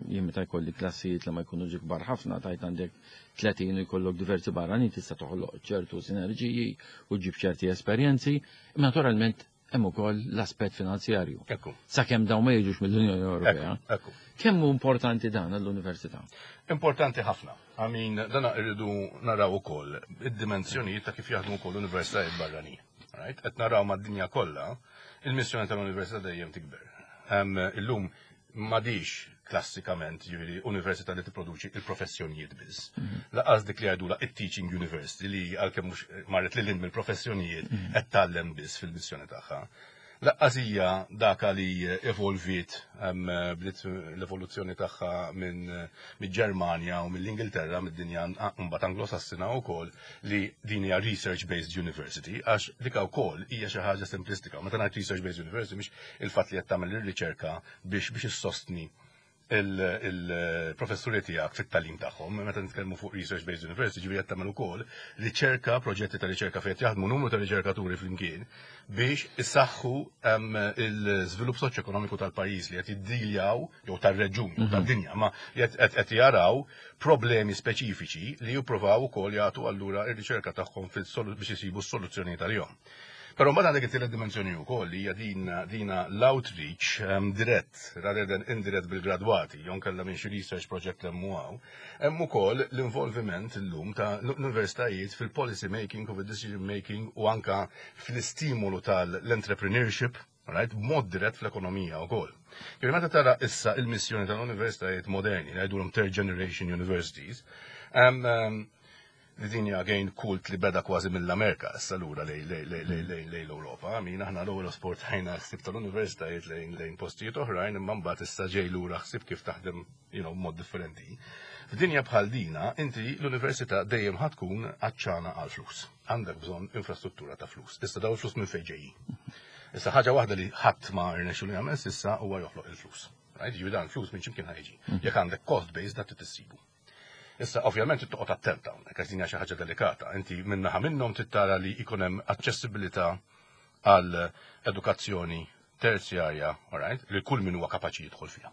jien meta jkolli klassijiet li ma jkunu kbar ħafna, tajt għandek tletin u jkollok diversi barranin, tista' toħloq ċertu sinerġiji u ġib ċerti esperjenzi, imma naturalment hemm ukoll l-aspett finanzjarju. Sakemm dawn ma jiġux mill-Unjoni Ewropea. Kemm hu importanti dan għall-università? Importanti ħafna. I mean, dana irridu naraw ukoll id-dimensjonijiet ta' kif jaħdmu wkoll universitajiet barranin. Right? Qed naraw mad-dinja kollha, il-missjoni tal-università dejjem tikber. Illum m'għadix klassikament, ġifieri, università li tipproduċi il-professjonijiet biss. Mhm. Lanqas dik li għajdula it-teaching university li għalkemm mhux marret lil mill-professjonijiet mhm. qed tgħallem biss fil-missjoni tagħha. Lanqas hija daka li evolviet, bdiet l-evoluzzjoni tagħha minn mill-Ġermanja u mill-Ingilterra, mid-dinja mbagħad Anglosassina wkoll, li din hija research-based university, għax dika wkoll hija xi ħaġa simplistika. Meta ngħid research-based university, mhix il-fatt li qed tagħmel ir-riċerka biex biex issostni il-professuri tiegħek fit-tagħlim tagħhom. Meta nitkellmu fuq research based university, ġifieri qed tagħmel ukoll riċerka, proġetti ta' riċerka fejn jaħdmu numru ta' riċerkaturi flimkien biex issaħħu il-żvilupp soċjoekonomiku tal-pajjiż li qed jiddiljaw jew tar-reġjun jew tad-dinja, ma qed jaraw problemi speċifiċi li jippruvaw ukoll jagħtu allura ir-riċerka tagħhom biex isibu s-soluzzjoni tal-jom. Però mbagħad għandek it-tielet dimensjoni wkoll li hija din dina l-outreach um, dirett rather than indirett bil-gradwati, jew kellha minn xi research project hemm hawn. Hemm ukoll l-involviment illum ta' l-universitajiet fil-policy making u fil-decision making u anka fl-istimolu tal-entrepreneurship, right, b'mod dirett fl-ekonomija wkoll. Ġifieri meta tara issa il-missjoni tal-universitajiet moderni, ngħidulhom third generation universities, um, um, li din hija again kult li beda kważi mill-Amerika issa lura lejn lejn l-Ewropa. Min aħna l-ewwel esportajna ħsieb tal-universitajiet lejn lejn postijiet oħrajn, imma mbagħad issa ġej lura ħsieb kif taħdem you know, mod differenti. F'dinja bħal dina, inti l-università dejjem ħa tkun għatxana għal flus. Għandek bżonn infrastruttura ta' flus. Issa daw il-flus minn fejn ġejjin? Issa ħaġa waħda li ħadd ma rnexxu li jagħmel s'issa huwa joħloq il-flus. Right? Ġifieri dan il-flus minn x'imkien ħa jiġi. Jekk għandek cost base, dak tissibu. Issa, ovvjament, toqgħod attent hawnhekk, għax din hija xi ħaġa delikata. Inti minnaħa minnhom tittara li jkun hemm aċċessibilità għal edukazzjoni terzjarja, alright, li kull min huwa kapaċi jidħol fiha.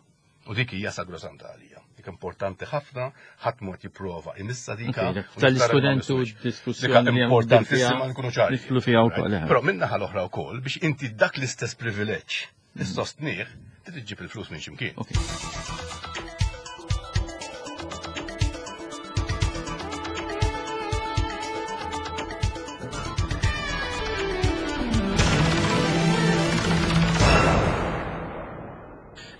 U dik hija sagrosanta għalija. Dik importanti ħafna, ħadd mod jipprova imissa dika. Tal-istudent u diskussjoni importantissima nkunu ċari. Nidħlu fiha wkoll. Però minnaħa l-oħra wkoll biex inti dak l-istess privileġġ issostnih, trid iġġib il-flus minn x'imkien.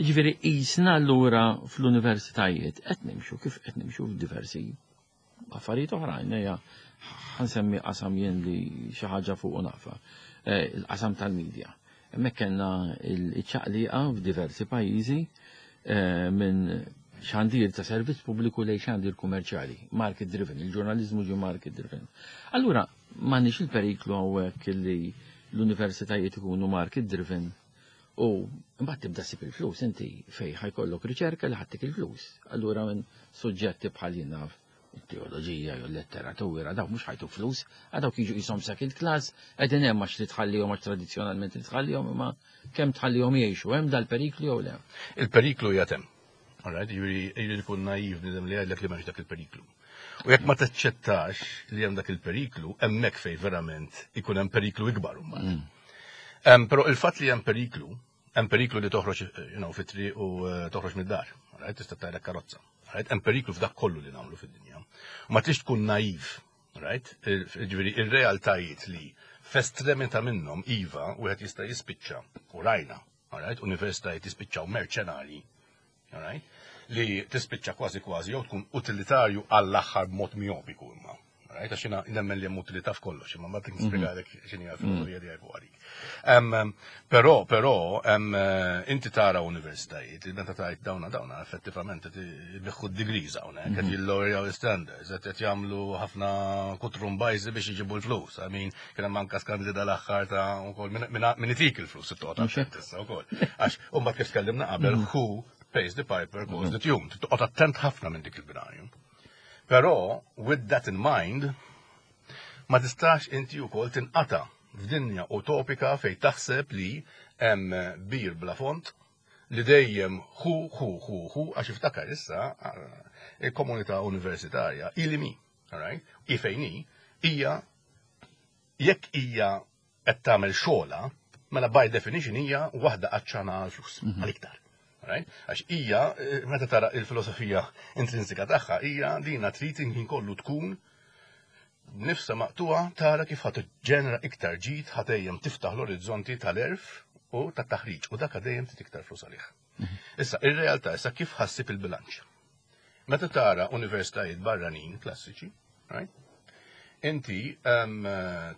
Ġifieri jisna allura fl-universitajiet qed nimxu kif qed nimxu f'diversi affarijiet oħrajn, hija ħa nsemmi qasam jien li xi ħaġa fuq nafa, il-qasam tal-medja. Hemmhekk kellna l-ċaqliqa f'diversi pajjiżi minn xandir ta' servizz pubbliku lejn xandir kummerċjali, market driven, il-ġurnaliżmu ġie market driven. Allura m'għandniex il-periklu hawnhekk li l-universitajiet ikunu market driven u mbagħad tibda ssib il-flus inti fej ħa jkollok riċerka li ħa ttik il-flus. Allura minn suġġetti bħal jien naf teoloġija jew letteratura, dawk mhux ħa jtuk flus, għax dawk jiġu qishom second class, qegħdin hemm għax li tħallihom, għax tradizzjonalment li tħallihom, imma kemm tħallihom jgħixu, hemm dal-periklu jew le? Il-periklu qiegħed hemm. Alright, jiġifieri jkun naiv bniedem li jgħidlek li m'hemmx dak il-periklu. U jekk ma taċċettax li hemm dak il-periklu, hemmhekk fej verament ikun hemm periklu ikbar imbagħad. Mm. Però il-fatt li hemm periklu, hemm periklu li toħroġ you know, fit-triq u eh, toħroġ mid-dar, right? Tista' ttajrek karozza. Right? Hemm periklu f'dak kollu li nagħmlu fid-dinja. U ma trix tkun naiv, right? Ġifieri ir-realtajiet li f'estremità minnhom iva wieħed jista' jispiċċa u rajna, right? Universitajiet jispiċċaw merċenari, right? Li tispiċċa kważi kważi jew tkun utilitarju għall-aħħar b'mod miopiku imma. Right? Għax jiena nemmen li hemm utilità f'kollox, imma ma nispjegalek x'inhi l-filosofija tiegħi fuq għalik. Però, però, inti tara universitajiet li meta tajt dawna dawna effettivament qed ibiħħu d-degrees hawnhekk, qed jillowrjaw standards, qed jagħmlu ħafna kutrumbajzi biex iġibu l-flus. I mean, kien hemm anke skandli dal-aħħar ta' wkoll min itik il-flus it-toqgħod attent issa wkoll. Għax mbagħad kif tkellimna qabel, who pays the piper calls the tune. Toqgħod attent ħafna minn dik il-binarju. Però, with that in mind, ma tistax inti wkoll tinqata' f'dinja utopika fej taħseb li hemm bir bla font li dejjem hu hu hu hu, għax iftakar issa il-komunità universitarja ilimi, alright? I fejn hi hija jekk hija qed tagħmel xogħla, mela by definition hija waħda għatxana għal flus, għal iktar. Right? Għax hija, meta tara il-filosofija intrinsika tagħha, hija dina trid inħin kollu tkun nifsa maqtuha tara kif ħa tiġġenera iktar ġid, ħa dejjem tiftaħ l-orizzonti tal-erf u tat-taħriġ, u dak dejjem trid iktar flus għalih. Issa, ir-realtà issa kif ħa ssib il-bilanċ? Meta tara universitajiet barranin klassiċi, right? Inti um,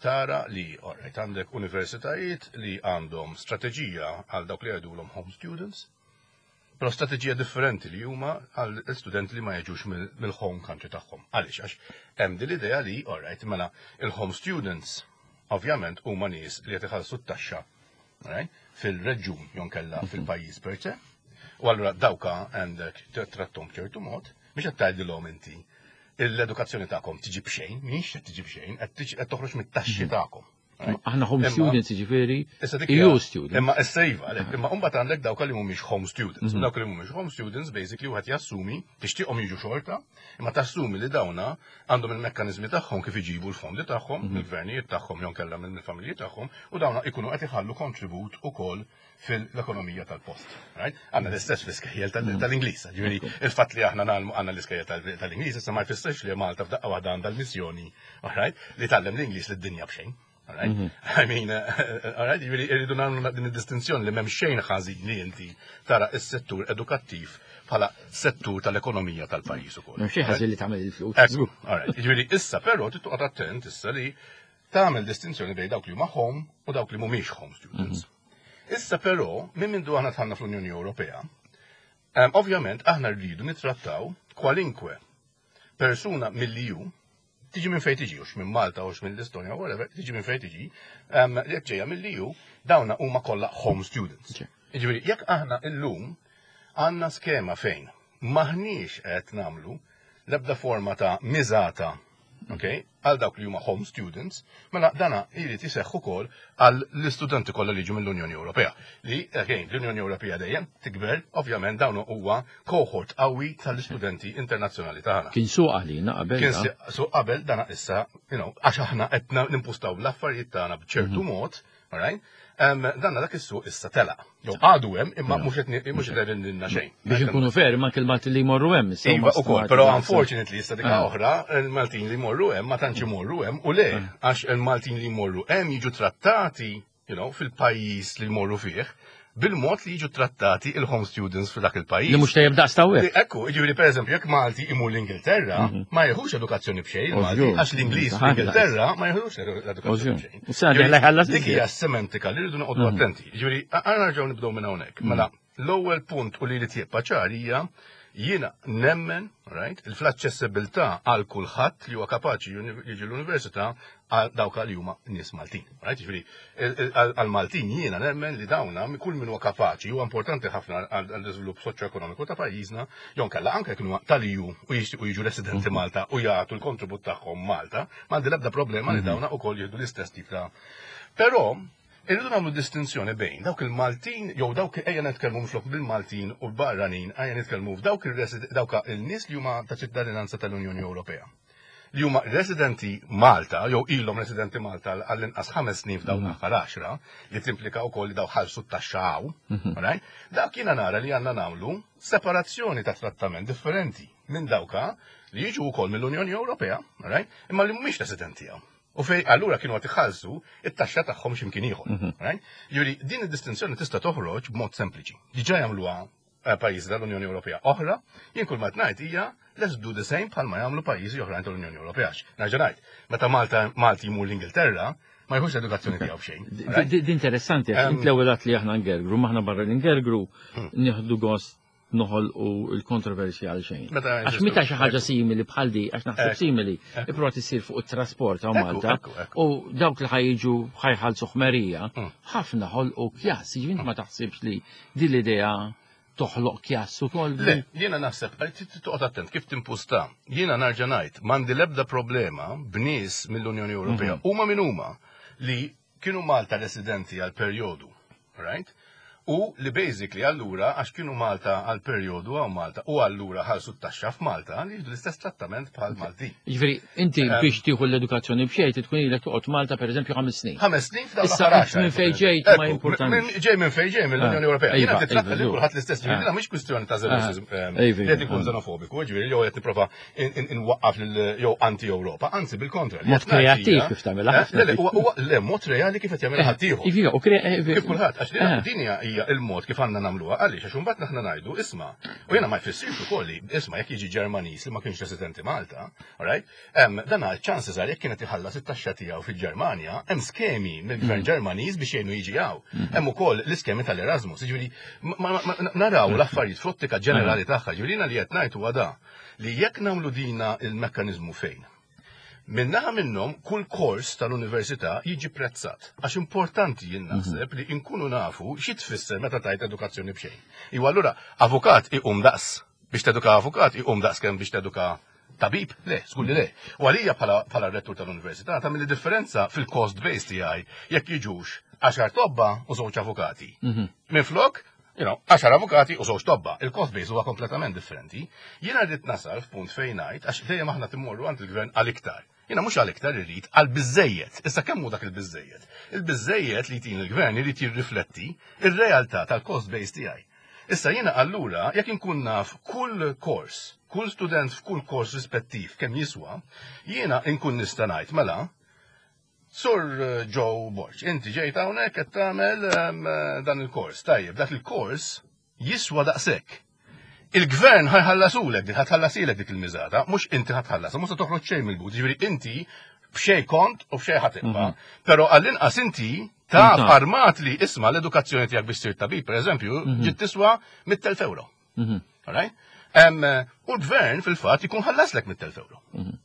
tara li, alright, għandek universitajiet li għandhom strateġija għal dawk li jgħidulhom home students, però strateġija differenti li huma għal studenti li ma jiġux mill-home country tagħhom. Għaliex? Għax hemm din l-idea li, alright, mela il-home students ovvjament huma nies li qed iħallsu t-taxxa, right, fil-reġjun jew inkella fil-pajjiż per se. U allura dawka għandek trattom ċertu mod, biex qed tgħidilhom inti l-edukazzjoni tagħkom tiġi b'xejn, mhix qed tiġi b'xejn, qed toħroġ mit-taxxi tagħkom. Aħna home students, ġifieri, E U students. Imma issa iva, għalhekk, imma mbagħad għandek dawk li mhumiex home students. Mhm. Dawk li mhumiex home students basically wieħed jassumi, tixtieqhom jiġu xorta, imma tassumi li dawna għandhom il-mekkaniżmi tagħhom kif iġibu l-fondi tagħhom, mhm. il-gvernijiet tagħhom jew kellha mill-familji tagħhom, u dawna ikunu qed iħallu kontribut ukoll fil-ekonomija tal-post. Right? Għandna l-istess fl-iskejjel mhm. tal-Ingliż. Ġifieri, il-fatt li aħna ngħallmu għandna l-iskejjel tal-Ingliż issa ma jfissirx li Malta f'daqqa waħda għandha l-missjoni, right? Li tgħallem l-Ingliż lid-dinja b'xejn. Alright? Mm -hmm. I mean, uh, alright, ġifieri irridu nagħmlu din id-distinzjoni li m'hemm xejn ħażin li inti tara s-settur edukattiv bħala settur tal-ekonomija tal-pajjiż ukoll. M'hemm xejn ħażin li tagħmel il-flus. Ekku, alright. Ġifieri issa però tittoqgħod attent issa li tagħmel distinzjoni bejn dawk li huma home u dawk li mhumiex home students. Mm -hmm. Issa però, minn mindu aħna dħalna fl-Unjoni Ewropea, um, ovvjament aħna rridu nittrattaw kwalinkwe persuna mill-E U, tiġi minn fejn tiġi, hux minn Malta, hux minn l-Estonja, whatever, tiġi minn fejn tiġi, li jekk ġejja mill-E U, dawna huma kollha home students. Ġifieri, jekk aħna illum għandna skema fejn maħniex qed nagħmlu l-ebda forma ta' miżata, ok, għal dawk li huma home students, mela dana jrid iseħħ ukoll għal l-istudenti kollha li jiġu mill-Unjoni Ewropea. Li, again, l-Unjoni Ewropea dejjem tikber, ovvjament dawn huwa cohort qawwi tal-istudenti internazzjonali tagħna. Kien suq għalina qabel. Kien suq qabel, dana issa, you know, għax aħna qed nimpustaw l-affarijiet tagħna b'ċertu mhm. mod, alright? Danna dak is-suq issa telaq. Jew għadu hemm imma mhux qed mhux qed lilna xejn. Biex inkunu fair, ma il-Malti li jmorru hemm. Iva ukoll, però unfortunately issa dik ah. oħra, il-Maltin li jmorru hemm ma tantx imorru hemm u le ah. għax il-Maltin li jmorru hemm jiġu trattati, you know, fil-pajjiż li jmorru fih bil-mod li jiġu trattati il-home students f'dak il-pajjiż. Li mhux tajjeb daqs tawwek. Ekku, ġifieri pereżempju jekk Malti imur l-Ingilterra, mhm. ma jieħux edukazzjoni b'xejn Malti, għax l-Ingliż fl-Ingilterra ma jieħux l-edukazzjoni b'xejn. Dik hija semantika li rridu noqogħdu mhm. attenti. Ġifieri għandna nerġgħu nibdew minn hawnhekk. Mhm. Mela, l-ewwel punt u li li tibqa' ċar hija jiena nemmen, right, il-fl-aċċessibilità għal kulħadd li huwa kapaċi jiġi l-università għal dawk li huma nies Maltin. Right? Ġifieri għal Maltin jiena nemmen li dawna kull min huwa kapaċi huwa importanti ħafna għall-iżvilupp soċjoekonomiku ta' pajjiżna, jew inkella anke jekk huwa tal-E U u jixtiequ jiġu residenti mhm. Malta u jagħtu l-kontribut tagħhom Malta, m'għandi l-ebda problema li mhm. dawna ukoll jieħdu l-istess tip ta'. Però irridu nagħmlu distinzjoni bejn dawk il-Maltin jew dawk, ejja nitkellmu mflok bil-Maltin u l-barranin, ejja nitkellmu f'dawk dawk il-nies li huma ta' ċittadinanza tal-Unjoni Ewropea li huma residenti Malta, jew ilhom residenti Malta għall-inqas ħames snin f'dawn mhm. l-aħħar għaxra, li timplika wkoll li daw ħallsu t-taxxa hawn, mhm. right? Dak jiena nara li għandna nagħmlu separazzjoni ta' trattament differenti minn dawka li jiġu wkoll mill-Unjoni Ewropea, right? Imma li mhumiex residenti hawn. U fej allura kienu għad iħallsu it-taxxa tagħhom x'imkien ieħor. Mhm. Right? Ġifieri din id-distinzjoni tista' toħroġ b'mod sempliċi. Diġà jagħmluha eh, pajjiżi tal-Unjoni Ewropea oħra, jien kull ma ngħid hija let's do the same bħalma jagħmlu pajjiżi oħrajn tal-Unjoni Ewropea. Nerġa' ngħid, meta Malta Malti jmur l-Ingilterra, ma jħux l-edukazzjoni tiegħu b'xejn. Di interessanti, għax int l-ewwel li aħna ngergru, maħna barra l-ingergru hmm. nieħdu gost noħolqu il-kontroversja għal xejn. Għax meta xi ħaġa simili bħal di, għax naħseb simili, ipprova issir fuq it-trasport ta' Malta u dawk li ħa jiġu ħa jħallsu ħmerija, hmm. ħafna ħolqu kjass, ġifieri ma taħsibx li din l-idea toħloq kjass ukoll. Le, jiena naħseb, toqgħod attent kif timpusta. Jiena nerġa' ngħid, m'għandi l-ebda problema b'nies mill-Unjoni Ewropea, mhm. huma min huma, li kienu Malta residenti għal perjodu, right? U li basically allura, għax kienu Malta għal perjodu għaw Malta, u allura ħallsu t-taxxa f'Malta, li jieħdu l-istess trattament bħal Malti. Ġifieri, inti biex tieħu l-edukazzjoni b'xejn tkun ilek toqgħod Malta pereżempju ħames snin. Ħames snin f'dawn Issa minn fejn ġejt ma importanti. Ġej minn fejn ġej mill-Unjoni Ewropea. Jiena titratta li kulħadd l-istess, ġifieri mhix kwistjoni ta' li qed ikun xenofobiku, ġifieri jew qed nipprova inwaqqaf jew anti-Ewropa, anzi bil-kontra. Mod kreattiv kif tagħmilha. Le, mod reali kif qed jagħmilha ħaddieħor. Kif kulħadd, għax din hija hija il-mod kif għandna nagħmluha. Għaliex? Għax imbagħad aħna ngħidu, isma', u jiena ma jfissirx ukoll li isma' jekk jiġi Ġermaniż li ma kienx residenti Malta, alright? Em, dan għal chances are jekk kienet iħallas it-taxxa tiegħu fil-Ġermanja, hemm skemi mill-gvern Ġermaniż biex jgħinu jiġi hawn. Hemm ukoll l-iskemi tal-Erasmus. Jiġifieri ma- ma- ma- naraw l-affarijiet fl-ottika ġenerali tagħha. Jiġifieri jiena li qed ngħid huwa da li jekk nagħmlu dina il-mekkaniżmu fejn Minnaħa minnhom kull kors tal-università jiġi prezzat. Għax importanti jien naħseb li nkunu nafu xi tfisser meta tajt edukazzjoni b'xejn. Iwa allura avukat iqum daqs biex teduka avukat iqum daqs kemm biex teduka tabib? Le, żgur li le. U għalija bħala bħala rettur tal-università tagħmel differenza fil-cost base tiegħi jekk jiġux għaxar tobba u żewġ avukati. Minflok, you know, għaxar avukati u żewġ tobba. Il-cost base huwa kompletament differenti. Jiena rrid nasal f'punt fejn ngħid għax dejjem aħna timmorru għand il-gvern għal iktar. Jiena mhux għal iktar irrid, għal biżejjed. Issa kemm hu dak il-biżejjed? Il-biżejjed li jtin il-gvern irid jirrifletti ir-realtà tal-cost base tiegħi. Issa jiena allura jekk inkun naf kull kors, kull student f'kull kors rispettiv kemm jiswa, jiena inkun nista' ngħid mela Sur eh, Joe Borg, inti ġejt hawnhekk qed tagħmel em, dan il-kors. Tajjeb, dak il-kors jiswa daqshekk. Il-gvern ħa jħallasulek, dik ħa tħallasilek dik il-miżata, mhux inti ħa tħallas, mhux se toħroġ xejn mill-but, ġifieri inti b'xejn kont u b'xejn ħa tibqa'. Però għall-inqas inti taf Inta. armat li isma' l-edukazzjoni tiegħek biex ssir tabib, pereżempju, ġiet tiswa mitt elf euro. Alright? Em, U l-gvern fil-fatt ikun ħallaslek mitt elf euro.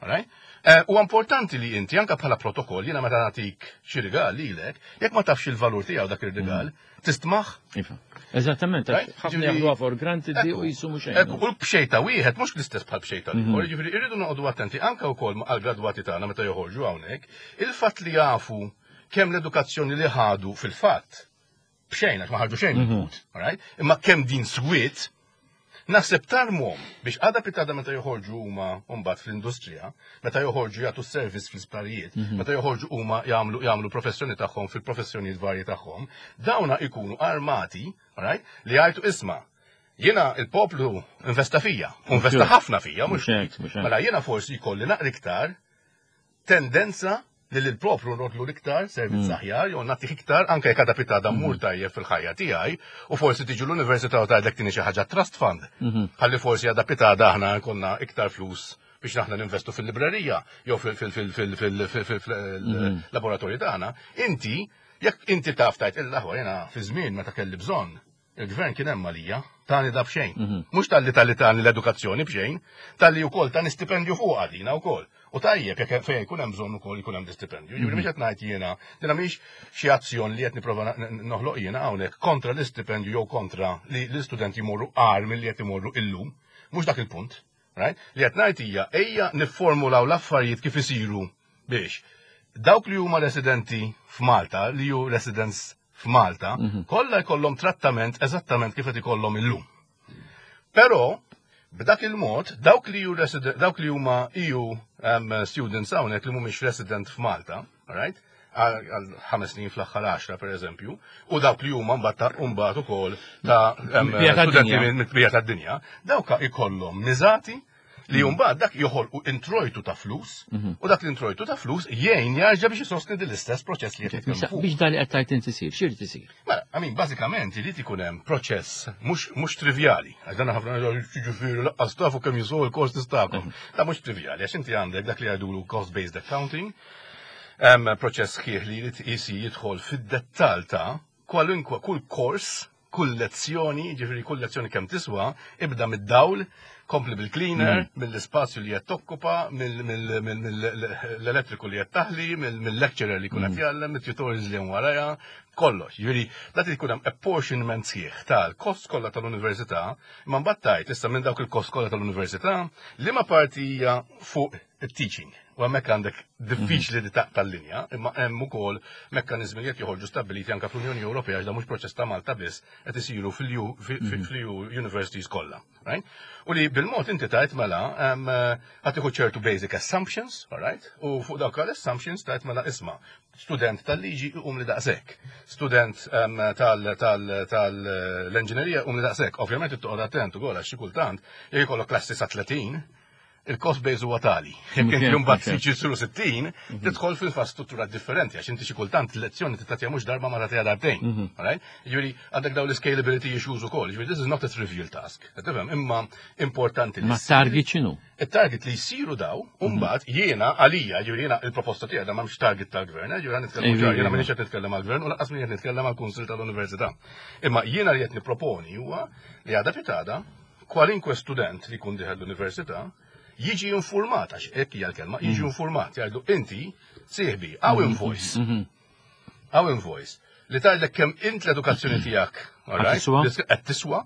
Alright? Eh, U importanti li inti anka bħala protokoll, jiena meta nagħtik xi rigal lilek, jekk ma tafx il-valur tiegħu dak ir-rigal, tistmaħ. Iva. Eżattament, Right? ħafna Ġifieri- jaħduha for granted di u Ekku, jisumu xejn. Ekku, u l-bxejta wieħed mhux l-istess bħal bxejta l-ieħor, jiġifieri irridu noqogħdu attenti anke wkoll għall-gradwati tagħna meta joħorġu hawnhekk, il-fatt li jafu kemm l-edukazzjoni li ħadu fil-fatt bxejn għax ma ħarġu xejn mill-but, alright? Imma kemm din swiet, naħseb tarmhom biex għada pitgħada meta joħorġu huma mbagħad fl-industrija, meta joħorġu jagħtu service fl-isptarijiet, meta joħorġu huma jagħmlu jagħmlu professjoni tagħhom fil-professjonijiet varji tagħhom, dawna ikunu armati, alright, li jgħidu isma' jiena il-poplu investa fija, u investa ħafna fija, mhux Mhux hekk, mhux hekk. Mela jiena forsi jkolli naqra iktar tendenza li l-poplu nrodlu l-iktar servizz aħjar, jew nagħtih iktar anke jekk għada pitgħada mmur tajjeb fil-ħajja tiegħi, u forsi tiġi l-università u tgħidlek tini xi ħaġa trust fund. Ħalli forsi għada pitgħada aħna jkollna iktar flus biex aħna ninvestu fil-librerija jew fil-laboratorju tagħna. Inti, jekk inti taf tajt il-aħwa jiena fi żmien meta kelli bżonn, il-gvern kien hemm għalija, tani da b'xejn. Mhux talli talli tani l-edukazzjoni b'xejn, talli wkoll tani stipendju fuq għadina wkoll. U tajjeb jekk fejn jkun hemm bżonn ukoll jkun hemm stipendju. Jiġifieri mhux qed ngħid jiena, dina mhix xi azzjoni li qed nipprova noħloq jiena hawnhekk kontra l-istipendju jew kontra li l-istudenti jmorru agħar milli qed imorru illum. Mhux dak il-punt. Right? Li qed ngħid hija ejja nifformulaw l-affarijiet kif isiru biex dawk li huma residenti f'Malta, li hu residents f'Malta, kollha jkollhom trattament eżattament kif qed ikollhom illum. Però b'dak il-mod, dawk li hu resident, dawk li huma E U um, students hawnhekk li mhumiex resident f'Malta, alright? Għal għal ħames snin fl-aħħar għaxra per eżempju, u dawk li huma mbagħad mbagħad ukoll ta' um, Mill-bqija studenti tad-dinja. mill-bqija tad-dinja, dawk ikollhom miżati li mbagħad dak joħolqu introjtu ta' flus, u dak l-introjtu ta' flus jgħin jarġa' biex isostni din l-istess proċess li qed nitkellmu fuq. Biex dali qed tajt inti sir, x'irid isir? Mela, I mean, bażikament irid ikun hemm proċess mhux mhux trivjali. Għax dan ħafna jiġifieri laqqas tafu kemm jiswew il-courses tagħkom. Da mhux trivjali, għax inti għandek dak li jgħidulu cost-based accounting, hemm proċess sħiħ li jrid isi jidħol fid-dettall ta' kwalunkwe kull kors, kull lezzjoni, ġifieri kull lezzjoni kemm tiswa, ibda mid-dawl, kompli bil-cleaner, mill-ispazju li qed tokkupa, mill-elettriku li qed taħli, mill-lecturer li jkun qed jgħallem, mit-tutorials li hemm warajha, kollox. Ġifieri dak jkun hemm apportionment sħiħ tal-cost kollha tal-università, imma mbagħad tajt issa minn dawk il-cost kollha tal-università, liema parti hija fuq it-teaching. U hemmhekk għandek diffiċli li taqta' l-linja, imma hemm ukoll mekkaniżmi li qed joħorġu stabbiliti anke fl-Unjoni Ewropea, għax da mhux proċess ta' Malta biss, qed isiru fil-E U universities kollha. Right? U li bil-mod inti tajt mela ħa tieħu ċertu basic assumptions, all right? U fuq dawk l-assumptions tajt mela isma' student tal-liġi um li daqshekk, student tal-engineering um li daqshekk. Ovvjament toqgħod attent ukoll għax xi kultant jekk ikollok klassi sa tletin, Il-cost base huwa tali. Jekk inti mbagħad jsiru sittin, tidħol fil-struttura differenti għax inti xi kultant lezzjoni tagħtiha mhux darba ma tagħtiha darbtejn. Alright? Jiġifieri għandek dawn l-scalability issues ukoll. Jiġifieri this is not a trivial task. Tifhem, imma importanti li. Ma target x'inhu? Il-target li jsiru daw, mbagħad jiena għalija, jiġifieri jiena il-proposta tiegħi da m'hemmx target tal-gvern, jiġifieri nitkellem jiena m'iniex qed nitkellem għall-gvern u lanqas qed nitkellem għall-Kunsill tal-Università. Imma jiena li qed nipproponi huwa li għada pitgħada kwalinkwe student li jkun dieħel l-università jiġi informat, għax hekk hija l-kelma, jiġi informat, jgħidu inti sieħbi, hawn invoice. Hawn invoice. Li tgħidlek kemm int l-edukazzjoni tiegħek, qed tiswa,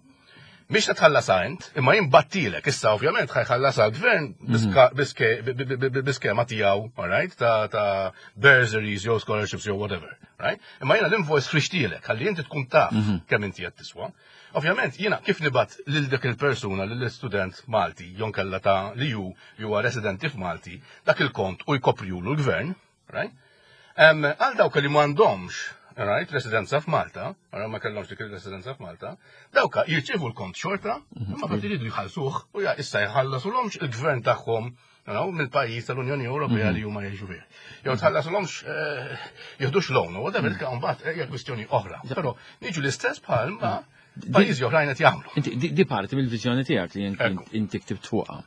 Mhix ta' tħallas int, imma jien battilek, issa ovvjament ħa jħallas għall-gvern biskema tiegħu, alright, ta' ta' bursaries jew scholarships jew whatever, right? Imma jiena l-invoice ħriġtilek, ħalli inti tkun taf kemm inti qed tiswa. Ovvjament, jiena kif nibgħat lil dik il-persuna, lill-student Malti, jew inkella ta' li ju huwa residenti f'Malti, dak il-kont u jkoprjulu l-gvern, right? Għal dawk li m'għandhomx, right, residenza f'Malta, għara ma kellhomx dik il-residenza f'Malta, dawka jirċievu l-kont xorta, imma qed iridu jħallsuh u ja issa jħallasulhomx il-gvern tagħhom mill-pajjiż tal-Unjoni Ewropea li huma jgħixu fih. Jew tħallasulhomx jieħdux loan, u whatever, mbagħad hija kwistjoni oħra. Però niġu l-istess bħal ma pajjiżi oħrajn qed jagħmlu. Inti di parti mill-viżjoni tiegħek li inti ktibt fuqha.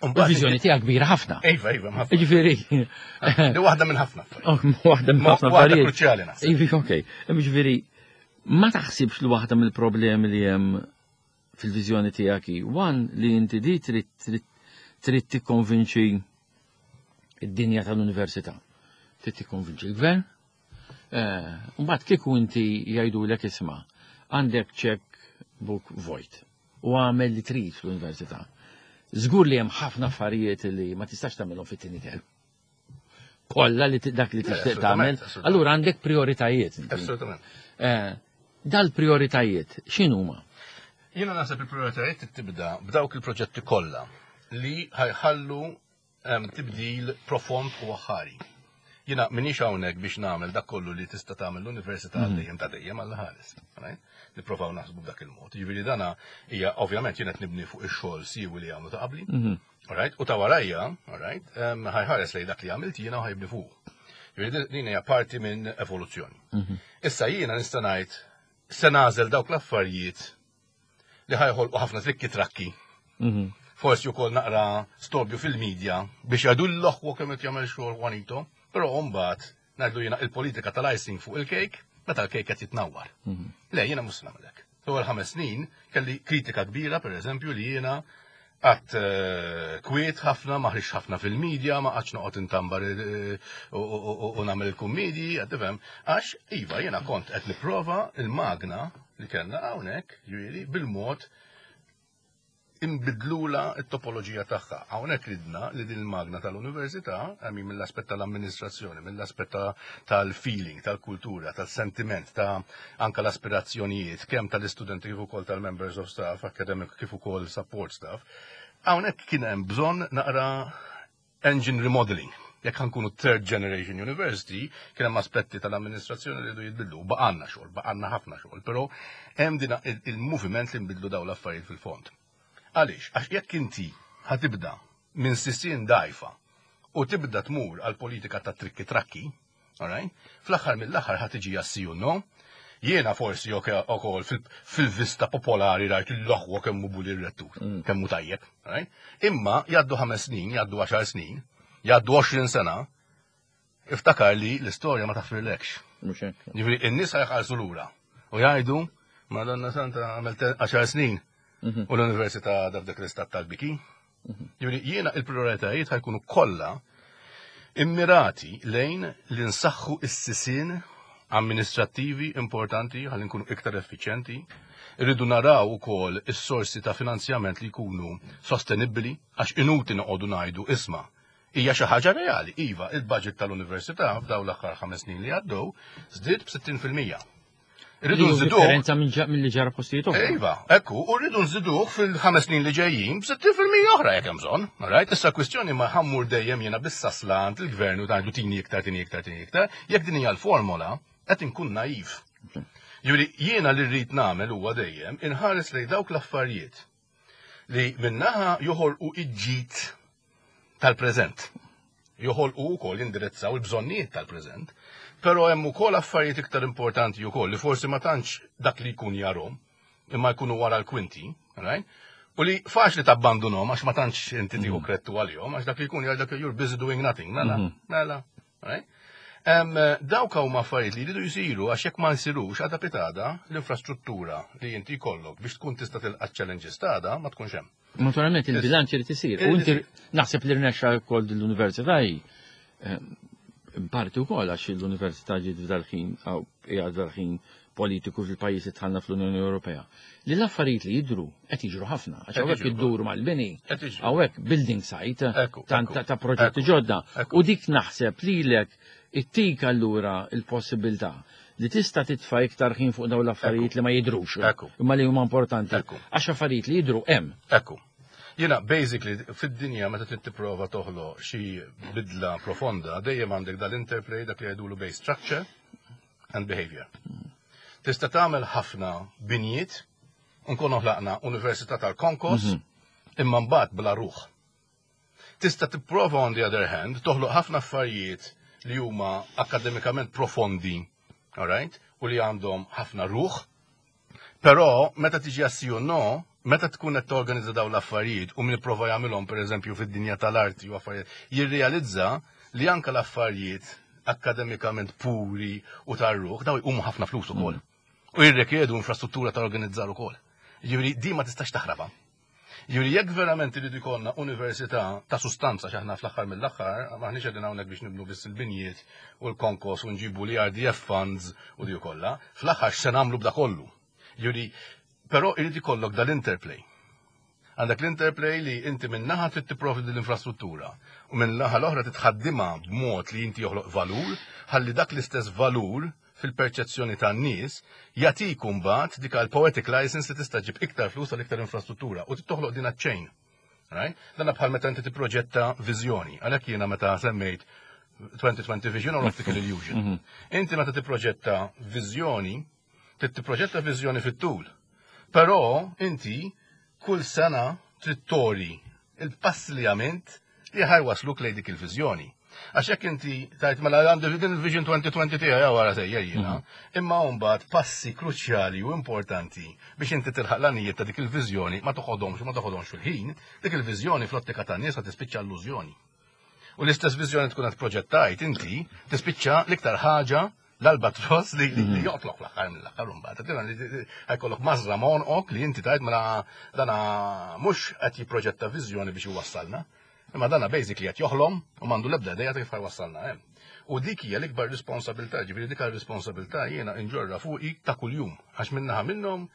Il-viżjoni tiegħek kbira ħafna. Iva, iva, ħafna. Ġifieri. Di waħda minn ħafna. Waħda minn ħafna Waħda kruċjali naħseb. Iva, okej. Ġifieri, ma taħsibx li waħda mill-problemi li hemm fil-viżjoni tiegħek hi, one li inti di trid trid tikkonvinċi id-dinja tal-università. Trid tikkonvinċi l-gvern. Mbagħad kieku inti jgħidulek isma' għandek check book vojt u għamel li trid fl-università. Żgur li hemm ħafna affarijiet li ma tistax tagħmelhom fit-tieni term. Kollha li dak li tixtieq tagħmel, allura għandek prioritajiet. Assolutament. Dal-prioritajiet x'inhuma? Jiena naħseb il-prioritajiet tibda b'dawk il-proġetti kollha li ħa jħallu tibdil profond u aħħari. Jiena minix hawnhekk biex nagħmel dak kollu li tista' tagħmel l-università dejjem ta' dejjem għal ħares. Nipprovaw naħsbu b'dak il-mod. Jiġifieri dana hija ovvjament jien qed nibni fuq ix-xogħol siewi li għamlu ta' qabli. Alright, u ta' warajja, alright, ħa jħares lejn dak li għamilt jiena u ħa jibni fuq. Jiġifieri din hija parti minn evoluzzjoni. Issa jiena nista' ngħid se nagħżel dawk l-affarijiet li ħa joħolqu ħafna trikki trakki. Forsi wkoll naqra storbju fil-medja biex jgħidu l-oħwa kemm qed jagħmel xogħol Juanito, però mbagħad ngħidlu jiena il-politika tal-icing fuq il-cake meta l-cake qed jitnawwar. Le, jiena mhux nagħmel hekk. L-ewwel ħames snin kelli kritika kbira, pereżempju, li jiena għat kwiet ħafna, ma ħriġ ħafna fil-medja, ma qgħadx noqgħod intambar u nagħmel il-kummedji, qed tifhem, għax iva jiena kont qed nipprova il-magna li kellna hawnhekk, ġifieri bil-mod imbidlula t-topoloġija tagħha. Hawnhekk ridna li din il-magna tal-università, għami mill-aspett tal-amministrazzjoni, mill-aspett tal-feeling, tal-kultura, tal-sentiment, ta' anka l-aspirazzjonijiet, kemm tal-istudenti kif ukoll tal-members of staff, academic kif ukoll support staff. Hawnhekk kien hemm bżonn naqra engine remodeling. Jekk ħa nkunu third generation university, kien hemm aspetti tal-amministrazzjoni li jridu jitbidlu. Baqanna xogħol, baqanna ħafna xogħol, però hemm din il-moviment li nbidlu dawn l-affarijiet fil-fond. Għaliex, għax jekk inti ħa tibda minn sisien dajfa u tibda tmur għal politika ta' trikki trakki, alright? Fl-aħħar mill-aħħar ħa tiġi jassi u no, jiena forsi ukoll fil-vista popolari rajt l-oħwa kemm hu buli r-rettur, kemm hu tajjeb, alright? Imma jgħaddu ħames snin, jgħaddu għaxar snin, jgħaddu għoxrin sena, iftakar li l-istorja ma taħfirlekx. Mhux hekk. Jiġifieri in-nies ħa jħarsu lura u jgħidu, Madonna Santa għamilt għaxar snin u l-università għadha f'dak l-istat tal-biki. Jiġifieri jiena il-prioritajiet ħa jkunu kollha immirati lejn li nsaħħu s-sisien amministrattivi importanti ħalli nkunu iktar effiċjenti. Irridu naraw ukoll is-sorsi ta' finanzjament li jkunu sostenibbli għax inuti noqogħdu ngħidu isma' hija xi ħaġa reali. Iva, il-budget tal-università f'dawn l-aħħar ħames snin li għaddew żdied b'sittin fil-mija. Irridu nżiduh. Differenza minn ġa-, minn li ġara postijiet oħra. Iva, ekku, u rridu nżiduh fil-ħames snin li ġejjin b'sittin fil-mija oħra jekk hemm bżonn. Right? Issa kwistjoni ma ħa mmur dejjem jiena bis-sasla għand il-gvern u tgħidu tini iktar, tini iktar, tini iktar, jekk din hija l-formola, qed inkun naiv. Jiġifieri jiena li rrid nagħmel huwa dejjem inħares lejn dawk l-affarijiet Li min-naħa joħolqu il-ġid tal-preżent. Joħolqu wkoll jindirizzaw il-bżonnijiet tal-preżent. Però hemm ukoll affarijiet iktar importanti wkoll li forsi ma tantx dak li jkun jarahom, imma jkunu wara l-kwinti, right? U li faċli tabbandunhom għax ma tantx inti tieħu mhm. kredtu għalihom, għax dak li jkun jgħidlek "You're busy doing nothing", mela, mhm. mela, right? Um, dawk huma affarijiet li jridu jsiru, għax jekk ma jsirux, għada pitgħada l-infrastruttura li inti jkollok biex tkun tista' tilqa' challenges t'għada ma tkunx hemm. Naturalment il-bilanċ irid isir. U inti naħseb li rnexxa wkoll l-università parti wkoll għax l-università ġiet f'dal-ħin qiegħed f'dal-ħin politiku fil-pajjiż li dħalna fl-Unjoni Ewropea. Li l-affarijiet li jidru qed jiġru ħafna, għax hawnhekk iddur mal-bini, hawnhekk building site ta' proġetti ġodda. U dik naħseb lilek ittik allura il-possibilità li tista' titfa' iktar ħin fuq dawn l-affarijiet li ma jidrux, imma li huma importanti. Għax affarijiet li jidru hemm. Ekku. Jiena, basically, fid-dinja meta trid tipprova toħloq xi bidla profonda, dejjem għandek dal-interplay, dak li jgħidulu base structure and behavior. Tista' tagħmel ħafna binjiet, nkunu ħlaqna Università tal-Konkos, mhm. imma mbagħad bla ruħ. Tista' tipprova, on the other hand, toħloq ħafna affarijiet li huma akademikament profondi, alright, u li għandhom ħafna ruħ, però meta tiġi għas no, meta tkun qed torganizza dawn l-affarijiet u min ipprova jagħmilhom, pereżempju fid-dinja tal-arti u affarijiet, jirrealizza li anke l-affarijiet akademikament puri u tar-ruħ daw jqumu ħafna flus ukoll. Mm. U jirrikjedu infrastruttura ta' organizzar ukoll. Jiġifieri di ma tistax taħrabha. Jiġifieri jekk verament iridu jkollna università ta' sustanza, x'aħna fl-aħħar mill-aħħar maħniex qegħdin hawnhekk biex nibnu biss il-binjiet u l-konkos u nġibu l-E R D F funds u di kollha, fl-aħħar x'se nagħmlu b'da kollu? Jiġifieri però irid ikollok dal-interplay. Għandek l-interplay li inti minn naħa trid tipprovdi l-infrastruttura u minn naħa l-oħra titħaddimha b'mod li inti joħloq valur, ħalli dak l-istess valur fil-perċezzjoni tan-nies jagħtik mbagħad dik poetic license li tista' ġib iktar flus għal iktar infrastruttura u toħloq din chain. Right? Dan bħal meta inti tipproġetta viżjoni. Għalhekk jiena meta semmejt twenty twenty vision or optical illusion. Mhm. Inti meta tipproġetta viżjoni, tipproġetta viżjoni fit-tul. Però inti kull sena trid turi il-pass li għamilt li ħa jwassluk lejn dik il-viżjoni. Għax jekk inti tgħid mela għandu din il-Vision twenty twenty tiegħi wara sejjer jiena, mhm. imma mbagħad passi kruċjali u importanti biex inti tilħaq l-għanijiet ta' dik il-viżjoni ma toħodhomx ma toħodhomx fil-ħin, dik il-viżjoni fl-ottika tan-nies ħa tispiċċa illużjoni. U l-istess viżjoni tkun qed proġettajt inti tispiċċa l-iktar ħaġa l-albatros li li mhm. joqtlok fl-aħħar mill-aħħar mbagħad. Ħa jkollok mażra m'għonqok li inti tgħid mela dana mhux qed jipproġetta viżjoni biex iwassalna. Imma dana basically qed joħlom u m'għandu l-ebda idea kif ħa jwassalna hemm. U dik hija l-ikbar responsabilità, ġifieri dik responsabilità jiena inġorra fuqi ta' kuljum, għax minnaħa minnhom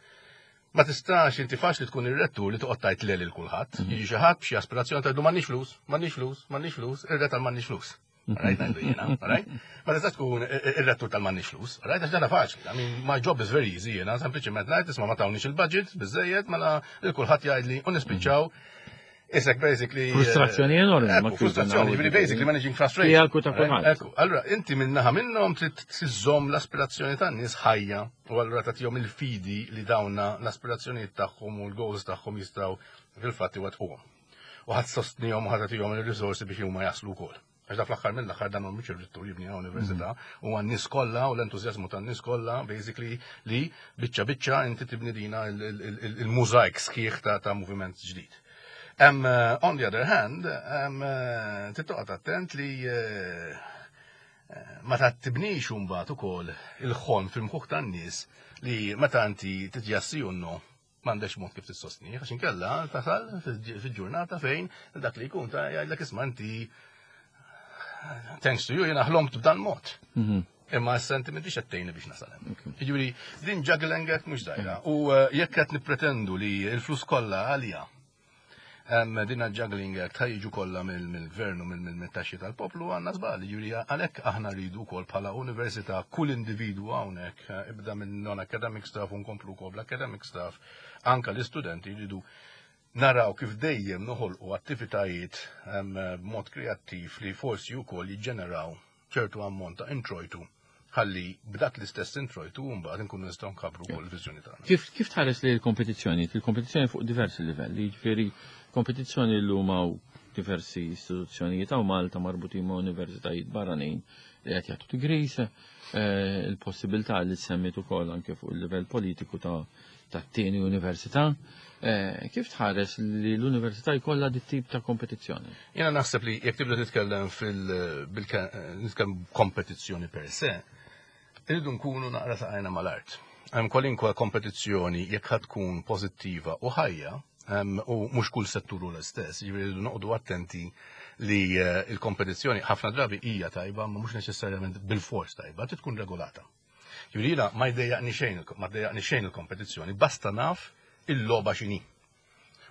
ma tistax inti faċli tkun ir-rettur li toqgħod tgħid le lil kulħadd. Mhm. Jiġi xi ħadd b'xi aspirazzjoni, tgħidlu "M'għandniex flus, m'għandniex flus, m'għandniex flus", ir-re tal-m'għandniex flus. Right, ngħidu jiena, right? Ma tistax tkun ir-rettur tal-m'għandniex flus, right? Għax dana faċli. I mean, my job is very easy, jiena sempliċement ngħid, "Isma', ma tawniex il-budget, biżejjed", mela lil kulħadd jgħidli u nispiċċaw. Isek basically. Frustrazzjoni enormi. Ekku, frustrazzjoni, ġifieri basically managing frustration. Tiegħek u ta' kulħadd. Ekku, allura inti minnaħa minnhom trid tiżżomm l-aspirazzjoni tan-nies ħajja u allura tagħtihom il-fidi li dawna l-aspirazzjonijiet tagħhom u l-goals tagħhom jistgħu fil-fatt iwettquhom. U ħadd sostnihom u ħadd tagħtihom il-risorsi biex huma jaslu wkoll. Għax da fl-aħħar mill-aħħar dan mhux ir-rettur jibni università, u għan-nies kollha u l-entużjażmu tan-nies kollha basically li biċċa biċċa inti tibni dina il-mużajk sħiħ ta' ta' moviment ġdid. Um, uh, on the other hand, um, uh, trid attent li uh, ma ta' tibnix mbagħad ukoll il-ħolm fil-mħuħ tan-nies li meta inti titjassi unno m'għandekx mod kif tissostni, għax inkella tasal fil-ġurnata fejn dak li jkun ta' jgħidlek, "Isma' inti, thanks to you, jiena ħlomt b'dan mod. Mhm. Imma s-sentimenti xettejni biex nasal hemm." Jiġifieri din juggling act mhux żgħira. U jekk qed nippretendu li l-flus kollha għalija din juggling act ħa jiġu kollha mill-gvern u mill-taxxi tal-poplu, għandna żball. Jiġifieri għalhekk aħna rridu wkoll bħala università kull individu hawnhekk, ibda minn non-academic staff u nkomplu wkoll l-academic staff, anka l-istudenti, jridu naraw kif dejjem noħolqu attivitajiet b'mod kreattiv li forsi wkoll jiġġeneraw ċertu ammont ta' introjtu Ħalli b'dak l-istess introjtu mbagħad inkunu nistgħu nkabbru wkoll il-viżjoni tagħna. Kif kif tħares li l-kompetizzjoni? Il-kompetizzjoni fuq diversi livelli, jiġifieri kompetizzjoni llum hawn diversi istituzzjonijiet hawn Malta marbutin ma' universitajiet barranin li qed jagħtu degrees, eh, il-possibilità li semmit ukoll anke fuq il-livell politiku ta' tat-tieni università. Eh, Kif tħares li l-università jkollha dit tip ta' kompetizzjoni? Jena naħseb li jekk tibda titkellem fil nitkellem kompetizzjoni per se, irridu nkunu naqra saqajna mal-art. Hemm kwalinkwa kompetizzjoni jekk ħa tkun pożittiva u ħajja, em, u mhux kull settur hu l-istess, jiġifieri rridu noqogħdu attenti li eh, il-kompetizzjoni ħafna drabi hija tajba, ma mhux neċessarjament bil-fors tajba, trid tkun regolata. Jiġifieri jiena ma jdejjaqni xejn ma jdejjaqni xejn il-kompetizzjoni, basta naf il-logħba x'inhi.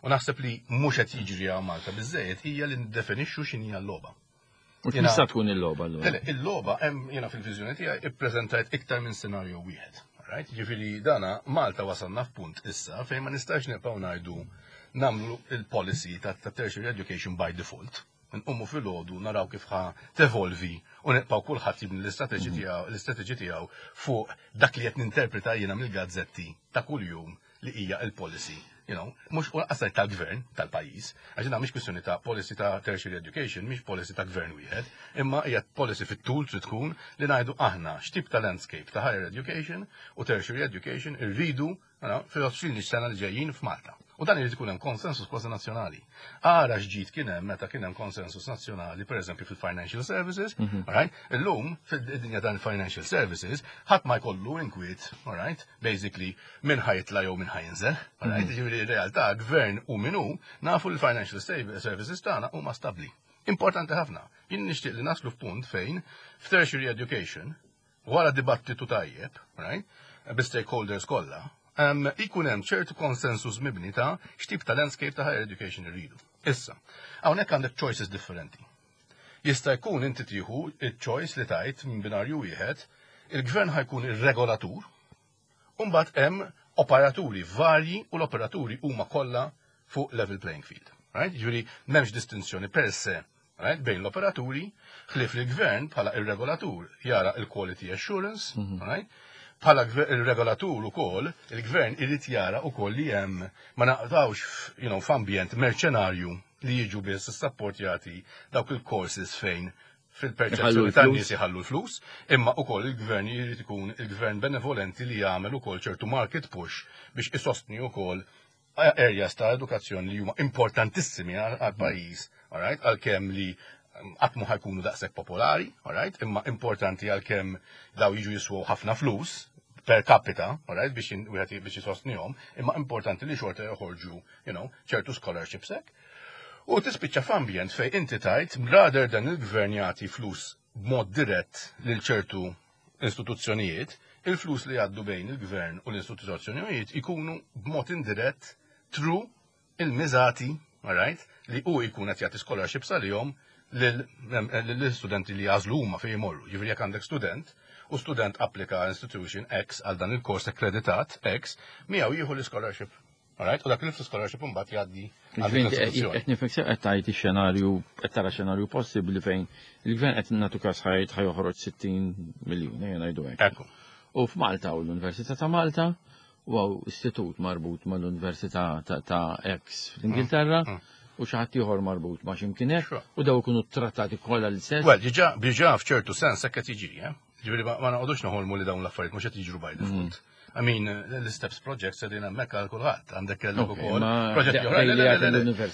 U naħseb li mhux qed jiġri hawn Malta biżejjed hija li niddefinixxu x'inhi l-logħba. U Jiena- tista' tkun il-logħba allura? Le, il-logħba hemm jiena fil-viżjoni tiegħi ippreżentajt iktar minn scenario wieħed. Right? Ġifieri dana Malta wasalna f'punt issa fejn ma nistax nibqgħu ngħidu nagħmlu il-policy ta' ta' tertiary education by default. Nqumu filgħodu naraw kif ħa tevolvi u nibqgħu kulħadd jibni l-istrateġi tiegħu l-istrateġi tiegħu fuq dak li qed ninterpreta jiena mill-gazzetti ta' kuljum li hija il-policy. You know, mhux u lanqas tal-gvern tal-pajjiż, għax mhix kwistjoni ta' policy ta' tertiary education, mhix policy ta' gvern wieħed, imma hija policy fit-tul trid tkun li ngħidu aħna x'tip ta' landscape ta' higher education u tertiary education irridu fil-għoxrin sena li ġejjin f'Malta. U dan irid ikun hemm konsensus kważi nazzjonali. Ara x'ġid kien hemm meta kien hemm konsensus nazzjonali, pereżempju fil-financial services, mm right? Illum fid-dinja dan financial services ħadd ma jkollu inkwiet, all right? Basically min ħa jitla' jew min ħa jinżel, all right? Ġifieri realtà gvern u min hu nafu l-financial services tagħna huma stabbli. Importanti ħafna. Jien nixtieq li naslu f'punt fejn f'tertiary education wara dibattitu tajjeb, right? Bi stakeholders kollha, um, ikun hemm ċertu konsensus mibni ta' x'tip ta' landscape ta' higher education irridu. Issa, hawnhekk għandek choices differenti. Jista' jkun inti tieħu il-choice li tajt minn binarju wieħed, il-gvern ħa jkun ir-regolatur, u mbagħad hemm operaturi varji u l-operaturi huma kollha fuq level playing field. Right? Ġifieri m'hemmx distinzjoni per se right? bejn l-operaturi, ħlief li l-gvern bħala ir-regolatur jara il-quality assurance, mm -hmm. right? bħala il-regolatur ukoll, il-gvern irid jara ukoll li hemm ma naqtawx you know, f'ambjent merċenarju li jiġu biss sapportjati dawk il-courses fejn fil-perċezzjoni tan-nies iħallu l-flus, imma ukoll il-gvern jrid ikun il-gvern benevolenti li jagħmel ukoll ċertu market push biex isostni ukoll areas ta' edukazzjoni li huma importantissimi għal-pajjiż, alright, għalkemm li qatt mu ħa jkunu daqshekk popolari, alright, imma importanti għalkemm daw jiġu jiswew ħafna flus per capita, alright, biex wieħed biex jisostnihom, imma importanti li xorta joħorġu, you know, ċertu scholarships hekk. U tispiċċa f'ambjent fej inti tajt, rather than il-gvern jagħti flus b'mod dirett lil ċertu istituzzjonijiet, il-flus li jgħaddu bejn il-gvern u l-istituzzjonijiet ikunu b'mod indirett through il-miżati, alright, li u jkun qed jagħti scholarships għalihom lill-studenti li jagħżlu huma fejn jmorru. Jiġifieri jekk għandek student u student applika institution X għal dan il-kors akkreditat X, miegħu jieħu l-scholarship. Alright, u dak il-scholarship imbagħad jgħaddi għall-istituzzjoni. Qed nifhmek qed tgħid ix-xenarju qed tara xenarju possibbli fejn il-gvern qed nagħtu każ ħajt ħa joħroġ sittin miljun, ejja ngħidu hekk. Ekku. U f'Malta u l-Università ta' Malta u hawn istitut marbut mal-Università ta' X fl-Ingilterra mm, mm. u xi ħadd ieħor marbut ma' x'imkien hekk u daw ikunu trattati kollha l-istess. Well, diġà diġà f'ċertu sens hekk qed jiġri, eh? Ġifieri ma noqogħdux noħolmu li dawn l-affarijiet mhux qed jiġru by default. Mm. I mean, l-Steps Project qegħdin hemmhekk għal kulħadd, għandek kellek ukoll proġetti oħra.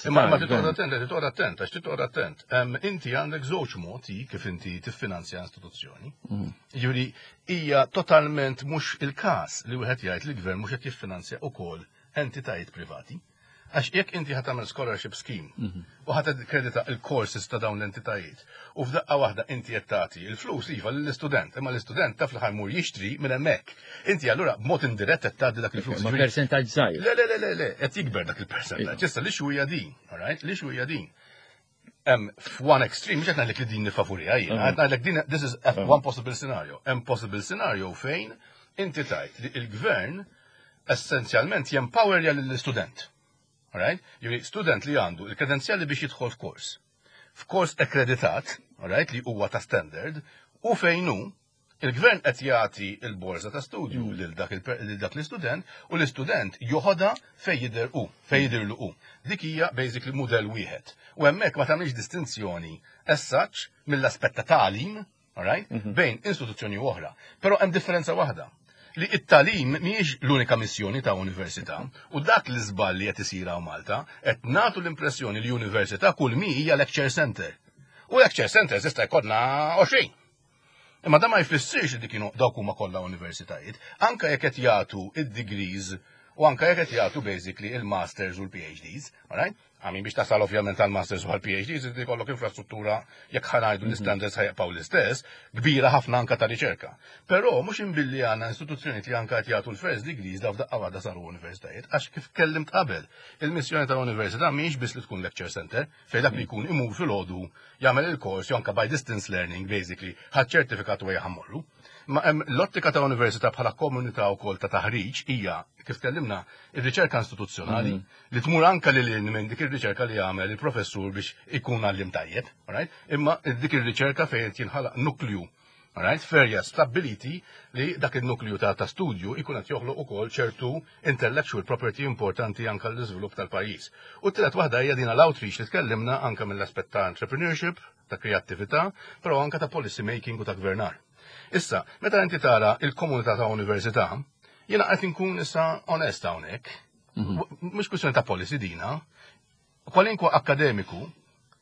Imma ma titqgħod attent, titqgħod attent, għax titqgħod attent. Inti għandek żewġ modi kif inti tiffinanzja istituzzjoni. Mm. Ġifieri hija totalment mhux il-każ li wieħed jgħid li l-gvern mhux qed jiffinanzja ukoll entitajiet privati. Għax jekk inti ħa tagħmel scholarship scheme mhm. u ħa kredita il-courses ta' dawn l-entitajiet u f'daqqa waħda inti qed tagħti il-flus iva lill-istudent, imma l-istudent taf li ħa jmur jixtri minn hemmhekk. Inti allura b'mod indirett qed tagħti dak il-flus. Ma percentaġġ żgħir. Le, le, le, le, le, qed jikber dak il-percentaġġ. Issa li hija din, alright? Li hija din. Hemm f'one extreme, mhux qed ngħidlek li din nifavoriha jien, qed ngħidlek din this is one possible scenario. Hemm possible scenario fejn inti tajt li il-gvern essenzjalment jempowerja lill-istudent. Alright? Jiġifieri student li għandu il-kredenzjali biex jidħol f'kors. F'kors akkreditat, alright, li huwa ta' standard, u fejn hu Il-gvern qed jagħti l-borża ta' studju mm. lil dak lil dak l-istudent u l-istudent joħodha fejn jidher hu, fejn jidhirlu hu. Dik hija basically mudell wieħed. U hemmhekk ma tagħmilx distinzjoni as such mill-aspett ta' tagħlim, alright, mhm. bejn istituzzjoni oħra. Però hemm differenza waħda, li it-tagħlim mhijiex l-unika missjoni ta' università, u dak li żball li qed isir hawn Malta, qed nagħtu l-impressjoni li università kull mi hija lecture center. U lecture center jista' jkollna għoxrin. Imma da ma jfissirx li kienu dawk huma kollha universitajiet, anka jekk qed jagħtu id-degrees u anka jekk qed jagħtu basically il-masters u l-P H Ds, alright? Għamin biex tasal ovvjament għal-masters u għal-P H Ds, inti jkollok infrastruttura, jekk ħa ngħidu l-standards ħa jibqgħu l-istess, kbira ħafna anka ta' riċerka. Però mhux imbilli għandna istituzzjoni li anka qed jagħtu l-first degrees da f'daqqa waħda saru universitajiet, għax kif kellimt qabel, il-missjoni tal-università mhijiex biss li tkun lecture center, fejn dak li jkun imur filgħodu jagħmel il-kors jew anka by distance learning basically ħadd ċertifikat u ħammorru. Ma hemm l-ottika ta' università bħala komunità wkoll ta' taħriġ hija, kif tkellimna, ir-riċerka istituzzjonali li tmur anka lil minn dik ir-riċerka li jagħmel il-professur biex ikun għallim tajjeb, alright? Imma dik ir-riċerka fejn jinħalaq nuklju, alright, ferja stabiliti li dak il-nuklju ta' ta' studju ikun qed joħloq ukoll ċertu intellectual property importanti anka l-iżvilupp tal-pajjiż. U t-tielet waħda hija dina l-outreach li tkellimna anka mill-aspett ta' entrepreneurship, ta' kreattività, però anka ta' policy making u ta' gvernar. Issa, meta inti tara il-komunità ta' università, jiena qed inkun issa onest hawnhekk. Mhux kwistjoni ta' policy dina. Kwalinkwa akademiku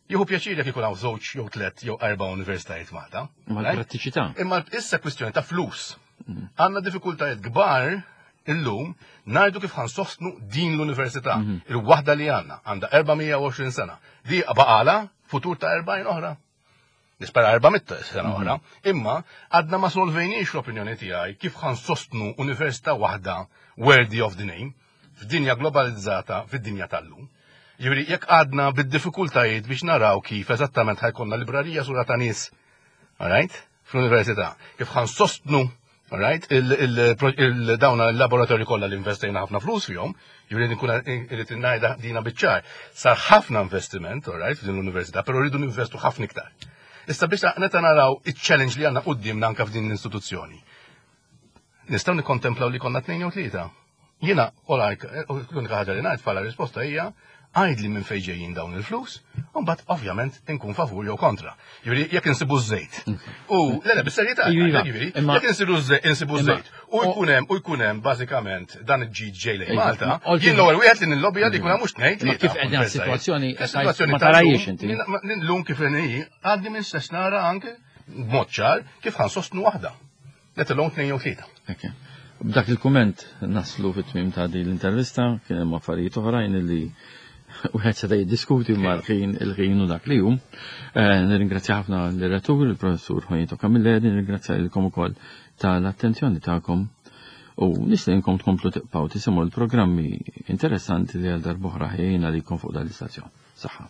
jieħu pjaċir jekk ikun hawn żewġ jew tliet jew erba' universitajiet Malta. Ma l-prattiċità. Imma issa kwistjoni ta' flus. Għandna diffikultajiet kbar illum ngħidu kif ħa nsostnu din l-università. Il-waħda li għandna għandha erba' mija u għoxrin sena. Di baqala futur ta' erbgħin oħra. Nispera erba' mitt sena oħra. Imma għadna ma solvejniex, l-opinjoni tiegħi, kif ħa nsostnu università waħda worthy of the name f'dinja globalizzata, fid-dinja tal-lum. Jiġifieri jekk għadna bid-diffikultajiet biex naraw kif eżattament ħa jkollna librarija sura ta' nies, alright, fl-università, kif ħa nsostnu, alright, il-dawna il-laboratorji kollha li investejna ħafna flus fihom, jiġifieri nkun irrid ngħidha dina biċ-ċar, sar ħafna investiment, alright, f'din l-università, però rridu ninvestu ħafna iktar. Issa biex neta naraw il-challenge li għandna qudiemna anka f'din l-istituzzjoni. Nistgħu nikkontemplaw li konna tnejn jew tlieta. Jiena, l-unika ħaġa li ngħid bħala risposta hija: għajdli minn fejn ġejjin dawn il-flus, u mbagħad ovvjament inkun favur jew kontra. Jiġifieri jekk insibu żejt. U le le bis-serjetà, jiġifieri jekk insibu insibu żejt u jkun hemm u jkun hemm bażikament dan il-ġid ġej lejn Malta, jien l-ewwel wieħed li nillobija li jkun hemm mhux tnejn. Kif qegħdin situazzjoni ma tarajiex inti. Llum kif inhi għadni minn stess nara anke b'mod ċar kif ħa nsostnu waħda. Let alone tnejn jew tlieta. B'dak il-kumment naslu fit-tmim ta' din l-intervista, kien hemm affarijiet oħrajn li wieħed seta' jiddiskuti mal-ħin, il-ħin u dak li hu. Eh, nirringrazzja ħafna l-rettur, il-professur Juanito Camilleri, nirringrazzja lilkom ukoll tal-attenzjoni tagħkom u nistedinkom tkomplu tibqgħu tisimgħu l-programmi interessanti li għal darb'oħra ħejjejna lilkom fuq dan l-istazzjon. Saħħa.